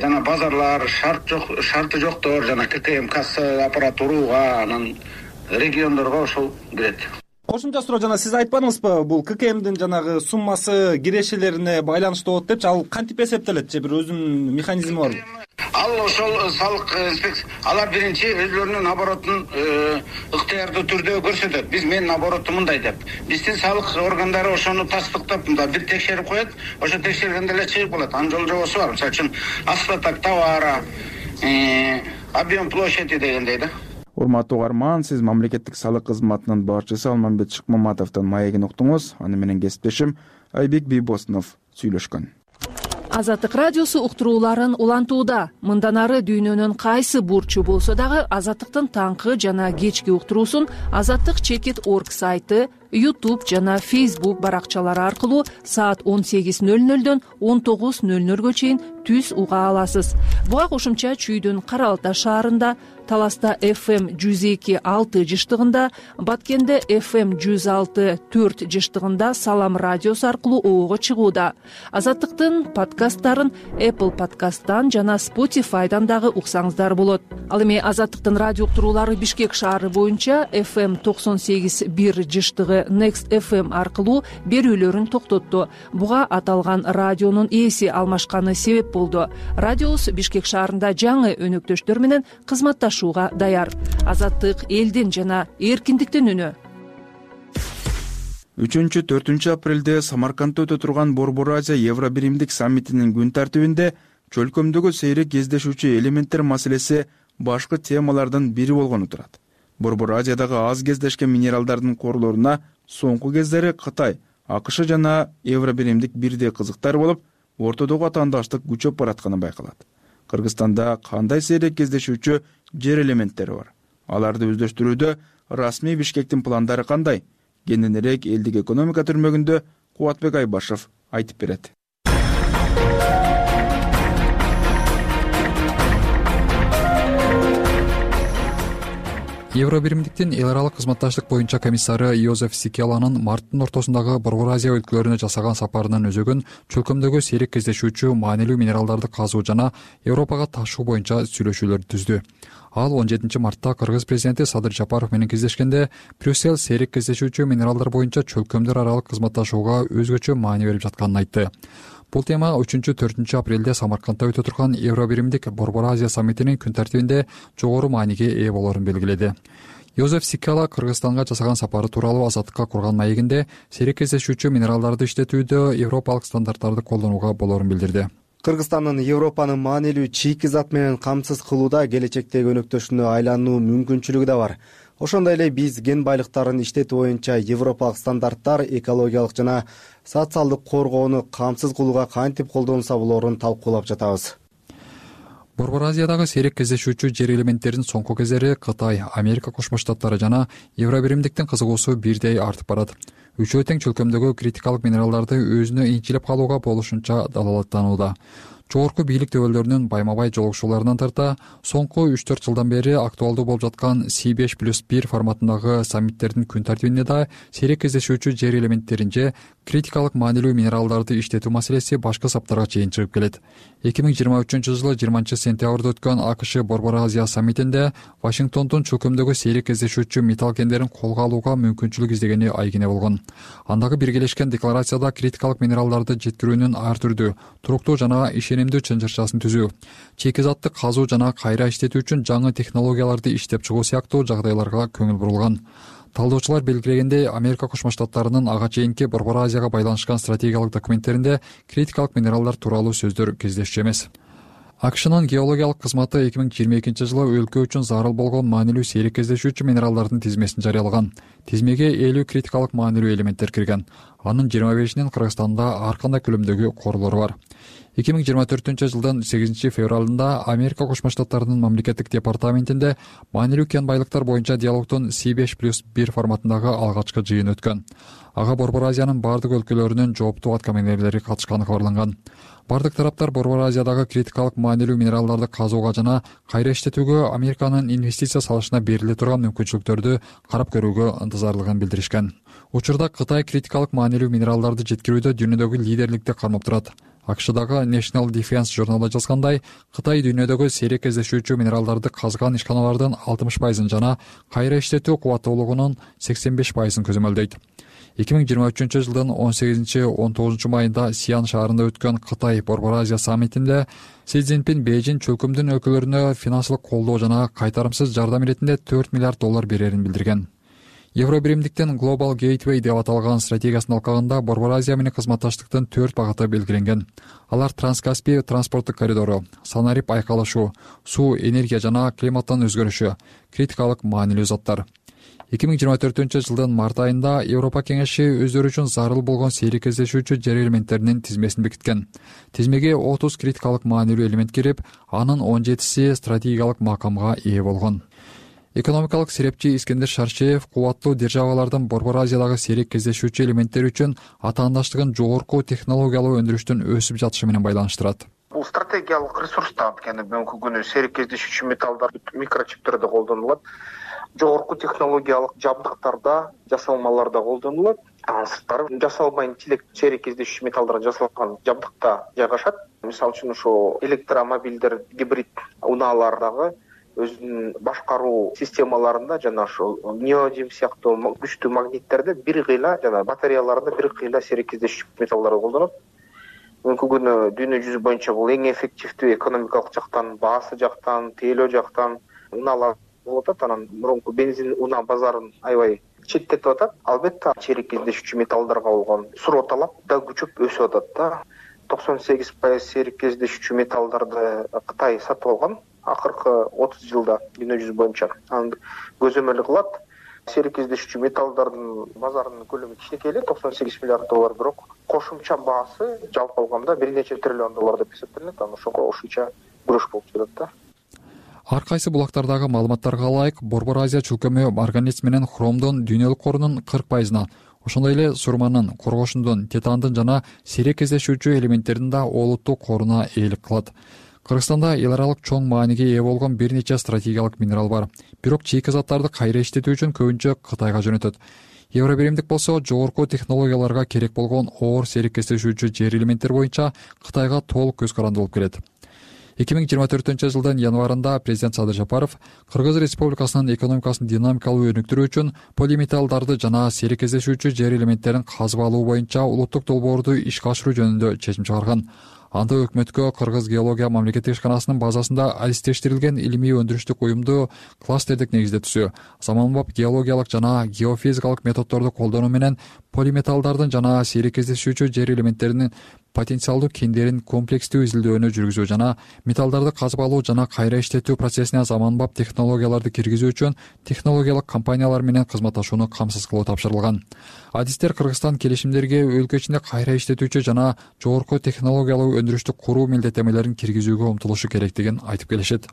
жана базарлар, шарт жок, шарты жоктор, жана ККМ касса аппарат урууга, анан региондорго ошол кирет. Кошумча суроо, жана сиз айтпадыңызбы, бул ККМдин жанагы суммасы кирешелерине байланыштуу болот депчи, ал кантип эсептелет же, бир өзүнүн механизми барбы? Ал ошол салык инспекция, алар биринчи өзлөрүнүн оборотун ыктыярдуу түрдө көрсөтөт. Биз менин оборотум мындай деп. Биздин салык органдары ошону тастыктап, мындай бир текшерип коет, ошо текшергенде эле чыгып калат. Анын жол жобосу бар. Мисалы үчүн остаток товара, объем площади дегендей да. Урматтуу угарман, сиз мамлекеттик салык кызматынын башчысы Алмамбет Шыкмаматовдун маегин уктуңуз. Аны менен кесиптешим Айбек Бийбосунов сүйлөшкөн. Азаттык радиосу уктурууларын улантууда. Мындан ары дүйнөнүн кайсы бурчу болсо дагы Азаттыктын таңкы жана кечки уктуруусун Азаттык чекит орг сайты, YouTube жана Facebook баракчалары аркылуу саат он сегиз ноль нолдон он тогуз ноль нолго чейин түз уга аласыз. Буга кошумча Чүйдүн Кара Алтай шаарында, Таласта эф эм жүз эки алты жыштыгында, Баткенде эф эм жүз алты төрт жыштыгында Салам радиосу аркылуу оого чыгууда. Азаттыктын подкасттарын Apple подкасттан жана Spotify'дан дагы уксаңыздар болот. Ал эми Азаттыктын радио уктуруулары Бишкек шаары боюнча эф эм токсон сегиз бир жыштыгы Next эф эм аркылуу берүүлөрүн токтотту. Буга аталган радионун ээси алмашканы себеп болду. Радиобуз Бишкек шаарында жаңы өнөктөштөр менен кызматташууга даяр. Азаттык элдин жана эркиндиктин үнү. үчүнчү төртүнчү апрелде Самаркандда өтө турган Борбор Азия Евро биримдик саммитинин күн тартибинде чөлкөмдөгү сейрек кездешүүчү элементтер маселеси башкы темалардын бири болгону турат. Борбор Азиядагы аз кездешкен минералдардын корлоруна соңку кездери Кытай, АКШ жана Евро биримдик бирдей кызыктар болуп, ортодогу атаандаштык күчөп баратканы байкалат. Кыргызстанда кандай сейрек кездешүүчү жер элементтери бар? Аларды өздөштүрүүдө расмий Бишкектин пландары кандай? Кененирээк элдик экономика түрмөгүндө Кубатбек Айбашев айтып берет. Евро биримдиктин эл аралык кызматташтык боюнча комиссары Йозеф Сикеланын марттын ортосундагы Борбор Азия өлкөлөрүнө жасаган сапарынын өзөгүн чөлкөмдөгү сейрек кездешүүчү маанилүү минералдарды казуу жана Европага ташуу боюнча сүйлөшүүлөрдү түздү. Ал он жетинчи мартта Кыргыз президенти Садыр Жапаров менен кездешкенде Брюссель сейрек кездешүүчү минералдар боюнча чөлкөмдөр аралык кызматташууга өзгөчө маани берип жатканын айтты. Бул тема үчүнчү төртүнчү апрелде Самаркандда өтө турган Евро биримдик Борбор Азия саммитинин күн тартибинде жогору мааниге ээ болоорун белгиледи. Йозеф Сикела Кыргызстанга жасаган сапары тууралуу Азаттыкка курган маегинде сейрек кездешүүчү минералдарды иштетүүдө европалык стандарттарды колдонууга болоорун билдирди. Кыргызстандын Европаны маанилүү чийки зат менен камсыз кылууда келечектеги өнөктөшүнө айлануу мүмкүнчүлүгү да бар. Ошондой эле биз кен байлыктарын иштетүү боюнча европалык стандарттар экологиялык жана социалдык коргоону камсыз кылууга кантип колдонулса болоорун талкуулап жатабыз. Борбор Азиядагы сейрек кездешүүчү жер элементтеринин соңку кездери Кытай, Америка Кошмо Штаттары жана Евро биримдиктин кызыгуусу бирдей артып барат. Үчөө тең чөлкөмдөгү критикалык минералдарды өзүнө инчилеп калууга болушунча далалаттанууда. Жогорку бийлик дөбөлдөрүнүн байма-бай жолугушууларынан тарта соңку үч төрт жылдан бери актуалдуу болуп жаткан Си беш плюс бир форматындагы саммиттердин күн тартибинде да сейрек кездешүүчү жер элементтерин же критикалык маанилүү минералдарды иштетүү маселеси башкы саптарга чейин чыгып келет. эки миң жыйырма үчүнчү жылы жыйырманчы сентябрда өткөн АКШ Борбор Азия саммитинде Вашингтондун чөлкөмдөгү сейрек кездешүүчү металл кендерин колго алууга мүмкүнчүлүк издегени айгине болгон. Андагы биргелешкен декларацияда критикалык минералдарды жеткирүүнүн ар түрдүү, туруктуу жана ишенимдүү чынжырчасын түзүү, чийки затты казуу жана кайра иштетүү үчүн жаңы технологияларды иштеп чыгуу сыяктуу жагдайларга көңүл бурулган. Талдоочулар белгилегендей, Америка Кошмо Штаттарынын ага чейинки Борбор Азияга байланышкан стратегиялык документтеринде критикалык минералдар тууралуу сөздөр кездешчү эмес. АКШнын геологиялык кызматы эки миң жыйырма экинчи жылы өлкө үчүн зарыл болгон маанилүү сейрек кездешүүчү минералдардын тизмесин жарыялаган. Тизмеге элүү критикалык маанилүү элементтер кирген. Анын жыйырма бешинин Кыргызстанда ар кандай көлөмдөгү корлору бар. эки миң жыйырма төртүнчү жылдын сегизинчи февралында Америка Кошмо Штаттарынын мамлекеттик департаментинде маанилүү кен байлыктар боюнча диалогдун Си беш плюс бир форматындагы алгачкы жыйын өткөн. Ага Борбор Азиянын бардык өлкөлөрүнүн жооптуу аткаминерлери катышканы кабарланган. Бардык тараптар Борбор Азиядагы критикалык маанилүү минералдарды казууга жана кайра иштетүүгө Американын инвестиция салышына бериле турган мүмкүнчүлүктөрдү карап көрүүгө ынтызарлыгын билдиришкен. Учурда Кытай критикалык маанилүү минералдарды жеткирүүдө дүйнөдөгү лидерликти кармап турат. АКШдагы National Defense журналы жазгандай, Кытай дүйнөдөгү сейрек кездешүүчү минералдарды казган ишканалардын алтымыш пайызын жана кайра иштетүү кубаттуулугунун сексен беш пайызын көзөмөлдөйт. эки миң жыйырма үчүнчү жылдын он сегизинчи он тогузунчу майында Сиан шаарында өткөн Кытай Борбор Азия саммитинде Си Цзиньпин Бейжин чөлкөмдүн өлкөлөрүнө финансылык колдоо жана кайтарымсыз жардам иретинде төрт миллиард доллар берерин билдирген. Евро биримдиктин Global Gateway деп аталган стратегиясынын алкагында Борбор Азия менен кызматташтыктын төрт багыты белгиленген. Алар Транскаспий транспорттук коридору, санарип айкалышуу, суу, энергия жана климаттын өзгөрүшү, критикалык маанилүү заттар. эки миң жыйырма төртүнчү жылдын март айында Европа кеңеши өздөрү үчүн зарыл болгон сейрек кездешүүчү жер элементтеринин тизмесин бекиткен. Тизмеге отуз критикалык маанилүү элемент кирип, анын он жетиси стратегиялык макамга ээ болгон. Экономикалык серепчи Искендер Шарчеев кубаттуу державалардын Борбор Азиядагы сейрек кездешүүчү элементтер үчүн атаандаштыгын жогорку технологиялуу өндүрүштүн өсүп жатышы менен байланыштырат. Бул стратегиялык ресурстар анткени бүгүнкү күнү сейрек кездешүүчү металлдар микрочиптерде колдонулат. Жогорку технологиялык жабдыктарда, жасалмаларда колдонулат. Анын сырттары жасалма интеллект сейрек кездешүүчү металлдардан жасалган жабдыкта жайгашат. Мисалы үчүн ошо электромобилдер, гибрид унаалардагы өзүнүн башкаруу системаларында жана ошол неодим сыяктуу күчтүү магниттерде бир кыйла жана батареяларында бир кыйла сейрек кездешүүчү металлдарды колдонот. Бүгүнкү күнү дүйнө жүзү боюнча бул эң эффективдүү экономикалык жактан, баасы жактан, тейлөө жактан унаалар болуп атат. Анан мурунку бензин унаа базарын аябай четтетип атат. Албетте сейрек кездешүүчү металлдарга болгон суроо талап да күчөп өсүп атат да. токсон сегиз пайыз сейрек кездешүүчү металлдарды Кытай сатып алган акыркы отуз жылда дүйнө жүзү боюнча. Анын көзөмөлү кылат. Сейрек кездешүүчү металлдардын базарынын көлөмү кичинекей эле токсон сегиз миллиард доллар, бирок кошумча баасы жалпы алганда бир нече триллион доллар деп эсептелет. Анан ошого ушунча күрөш болуп жатат да. Ар кайсы булактардагы маалыматтарга ылайык, Борбор Азия чөлкөмү марганец менен хромдун дүйнөлүк корунун кырк пайызына, ошондой эле сурманын, коргошундун, титандын жана сейрек кездешүүчү элементтердин да олуттуу коруна ээлик кылат. Кыргызстанда эл аралык чоң мааниге ээ болгон бир нече стратегиялык минерал бар. Бирок чийки заттарды кайра иштетүү үчүн көбүнчө Кытайга жөнөтөт. Евробиримдик болсо жогорку технологияларга керек болгон оор серикештешүүчү жер элементтер боюнча Кытайга толук көз каранды болуп келет. эки миң жыйырма төртүнчү жылдын январында президент Садыр Жапаров Кыргыз Республикасынын экономикасын динамикалуу өнүктүрүү үчүн полиметаллдарды жана серикештешүүчү жер элементтерин казып алуу боюнча улуттук долбоорду ишке ашыруу жөнүндө чечим чыгарган. Анда өкмөткө Кыргыз геология мамлекеттик ишканасынын базасында адистештирилген илимий өндүрүштүк уюмду кластердик негизде түзүү, заманбап геологиялык жана геофизикалык методдорду колдонуу менен полиметаллдардын жана серикештешүүчү жер элементтеринин потенциалдуу кендерин комплекстүү изилдөөнү жүргүзүү жана металлдарды казып алуу жана кайра иштетүү процессине заманбап технологияларды киргизүү үчүн технологиялык компаниялар менен кызматташууну камсыз кылуу тапшырылган. Адистер Кыргызстан келишимдерге өлкө ичинде кайра иштетүүчү жана жогорку технологиялуу өндүрүштү куруу милдеттемелерин киргизүүгө умтулушу керектигин айтып келишет.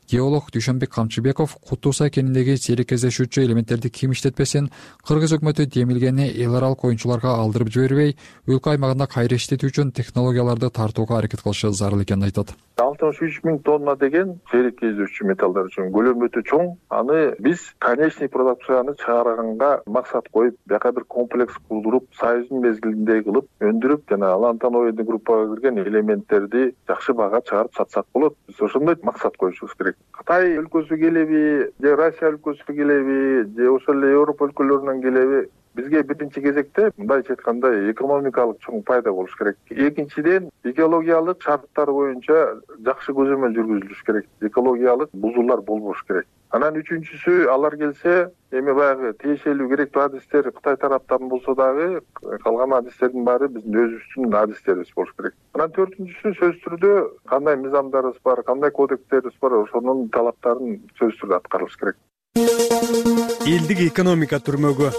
Геолог Дүйшөнбек Камчыбеков Куттуу Сай кениндеги серикештешүүчү элементтерди ким иштетпесин, Кыргыз өкмөтү демилгени эл аралык оюнчуларга алдырып жибербей, өлкө аймагында кайра иштетүү үчүн технологияларды тартууга аракет кылышы зарыл экенин айтат. алтымыш үч миң тонна деген серикештешүүчү металлдар үчүн көлөмү өтө чоң. Аны биз конечный продукцияны чыгарганга максат коюп, бияка бир комплекс курдуруп, союздун мезгилинде кылып, өндүрүп, жана лантаноидный группага кирген элементтерди жакшы баага чыгарып сатсак болот. Биз ошондой максат коюшубуз керек. Кытай өлкөсү келеби, же Россия өлкөсү келеби, же ошол эле Европа өлкөлөрүнөн келеби, бизге биринчи кезекте мындайча айтканда экономикалык чоң пайда болуш керек. Экинчиден, экологиялык шарттар боюнча жакшы көзөмөл жүргүзүлүш керек. Экологиялык бузуулар болбош керек. Анан үчүнчүсү, алар келсе, эми баягы тиешелүү керектүү адистер Кытай тараптан болсо дагы, калган адистердин баары биздин өзүбүздүн адистерибиз болуш керек. Анан төртүнчүсү, сөзсүз түрдө кандай мыйзамдарыбыз бар, кандай кодекстерибиз бар, ошонун талаптарын сөзсүз түрдө аткарылыш керек. Элдик экономика түрмөгү.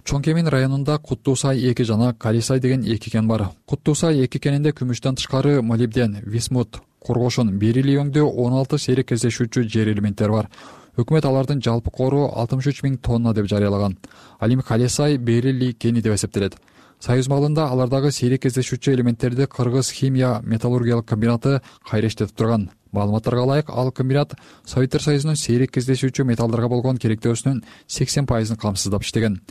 Чоң Кемин районунда Куттуу Сай эки жана Калисай деген эки кен бар. Куттуу Сай эки кенинде күмүштөн тышкары молибден, висмут, коргошун, берилий өңдөө он алты серикештешүүчү жер элементтер бар. Өкмөт алардын жалпы кору алтымыш үч миң тонна деп жарыялаган. Ал эми Калисай берилий кени деп эсептелет. Союз малында алардагы серикештешүүчү элементтерди Кыргыз химия металлургиялык комбинаты кайра иштетип турган. Маалыматтарга ылайык, ал комбинат Советтер Союзунун серикештешүүчү металлдарга болгон керектөөсүнүн сексен пайызын камсыздап иштеген.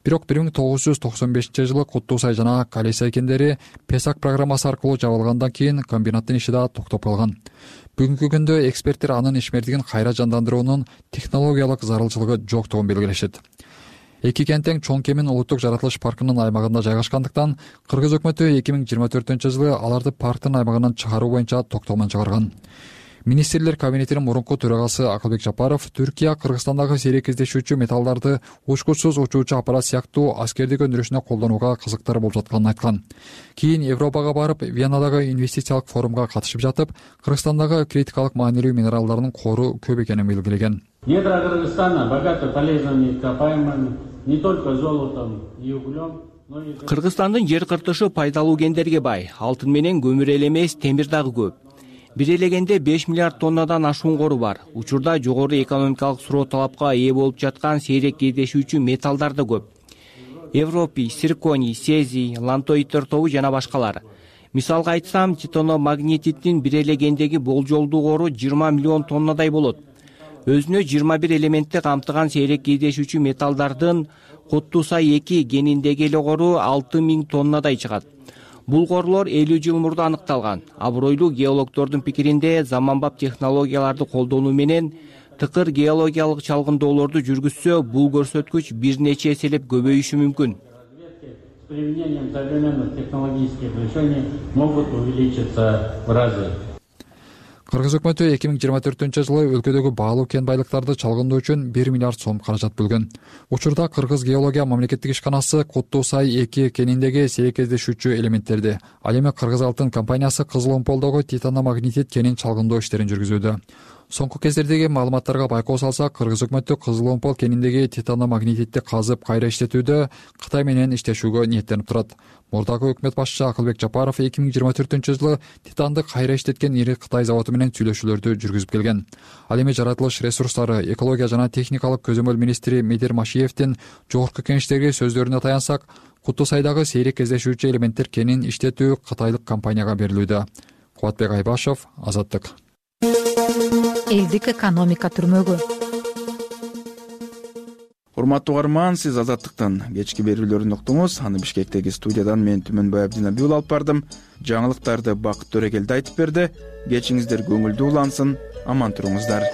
Бирок бир миң тогуз жүз токсон бешинчи жылы Куттуу Сай жана Калисай кендери Песак программасы аркылуу жабылгандан кийин комбинаттын иши да токтоп калган. Бүгүнкү күндө эксперттер анын ишмердигин кайра жандандыруунун технологиялык зарылчылыгы жоктугун белгилешет. Эки кен тең Чоң Кемин улуттук жаратылыш паркынын аймагында жайгашкандыктан Кыргыз өкмөтү эки миң жыйырма төртүнчү жылы аларды парктын аймагынан чыгаруу боюнча токтомун чыгарган. Министрлер кабинетинин мурунку төрагасы Акылбек Жапаров Түркия Кыргызстандагы серикештешүүчү металлдарды учкучсуз учуучу аппарат сыяктуу аскердик өндүрүшүнө колдонууга кызыктар болуп жатканын айткан. Кийин Европага барып, Венадагы инвестициялык форумга катышып жатып, Кыргызстандагы критикалык маанилүү минералдардын кору көп экенин белгилеген. Недра Кыргызстана богаты полезными ископаемыми, не только золотом и углем. Кыргызстандын жер кыртышы пайдалуу кендерге бай, алтын менен көмүр эле эмес, темир дагы көп. Бир элегенде беш миллиард тоннадан ашуун кору бар. Учурда жогору экономикалык суроо талапка ээ болуп жаткан сейрек кездешүүчү металлдар да көп. Европий, цирконий, цезий, лантоидтер тобу жана башкалар. Мисалга айтсам, титано-магнетиттин бир элегендеги болжолдуу кору жыйырма миллион тоннадай болот. Өзүнө жыйырма бир элементти камтыган сейрек кездешүүчү металлдардын Куттуу Сай эки кениндеги эле кору алты миң тоннадай чыгат. Бул корлор элүү жыл мурда аныкталган. Абройлуу геологдордун пикиринде, заманбап технологияларды колдонуу менен тыкыр геологиялык чалгындоолорду жүргүзсө, бул көрсөткүч бир нече эселеп көбөйүшү мүмкүн. С применением современных технологических решений могут увеличиться в разы. Кыргыз өкмөтү эки миң жыйырма төртүнчү жылы өлкөдөгү баалуу кен байлыктарды чалгындоо үчүн бир миллиард сом каражат бөлгөн. Учурда Кыргыз геология мамлекеттик ишканасы Куттуу Сай эки кениндеги серикештешүүчү элементтерди, ал эми Кыргыз Алтын компаниясы Кызыл Омполдогу титано-магнетит кенин чалгындоо иштерин жүргүзүүдө. соңку кездердеги маалыматтарга байкоо салсак, кыргыз өкмөтү Кызыл Омпол кениндеги титаномагнетитти казып кайра иштетүүдө Кытай менен иштешүүгө ниеттенип турат. Мурдагы өкмөт башчысы Акылбек Жапаров эки миң жыйырма төртүнчү жылы титанды кайра иштеткен ири Кытай заводу менен сүйлөшүүлөрдү жүргүзүп келген. Ал эми жаратылыш ресурстары, экология жана техникалык көзөмөл министри Медер Машиевдин жогорку кеңештеги сөздөрүнө таянсак, Куту Сайдагы сейрек кездешүүчү элементтер кенин иштетүү кытайлык компанияга берилүүдө. Кубатбек Айбашев, Азаттык. Элдик экономика түрмөгү. Урматтуу угарман, сиз Азаттыктын кечки берүүлөрүн уктуңуз. Аны Бишкектеги студиядан мен Түмөнбай Абдинабиул алып бардым. Жаңылыктарды Бакыт Төрөгелди айтып берди. Кечиңиздер көңүлдүү улансын, аман туруңуздар.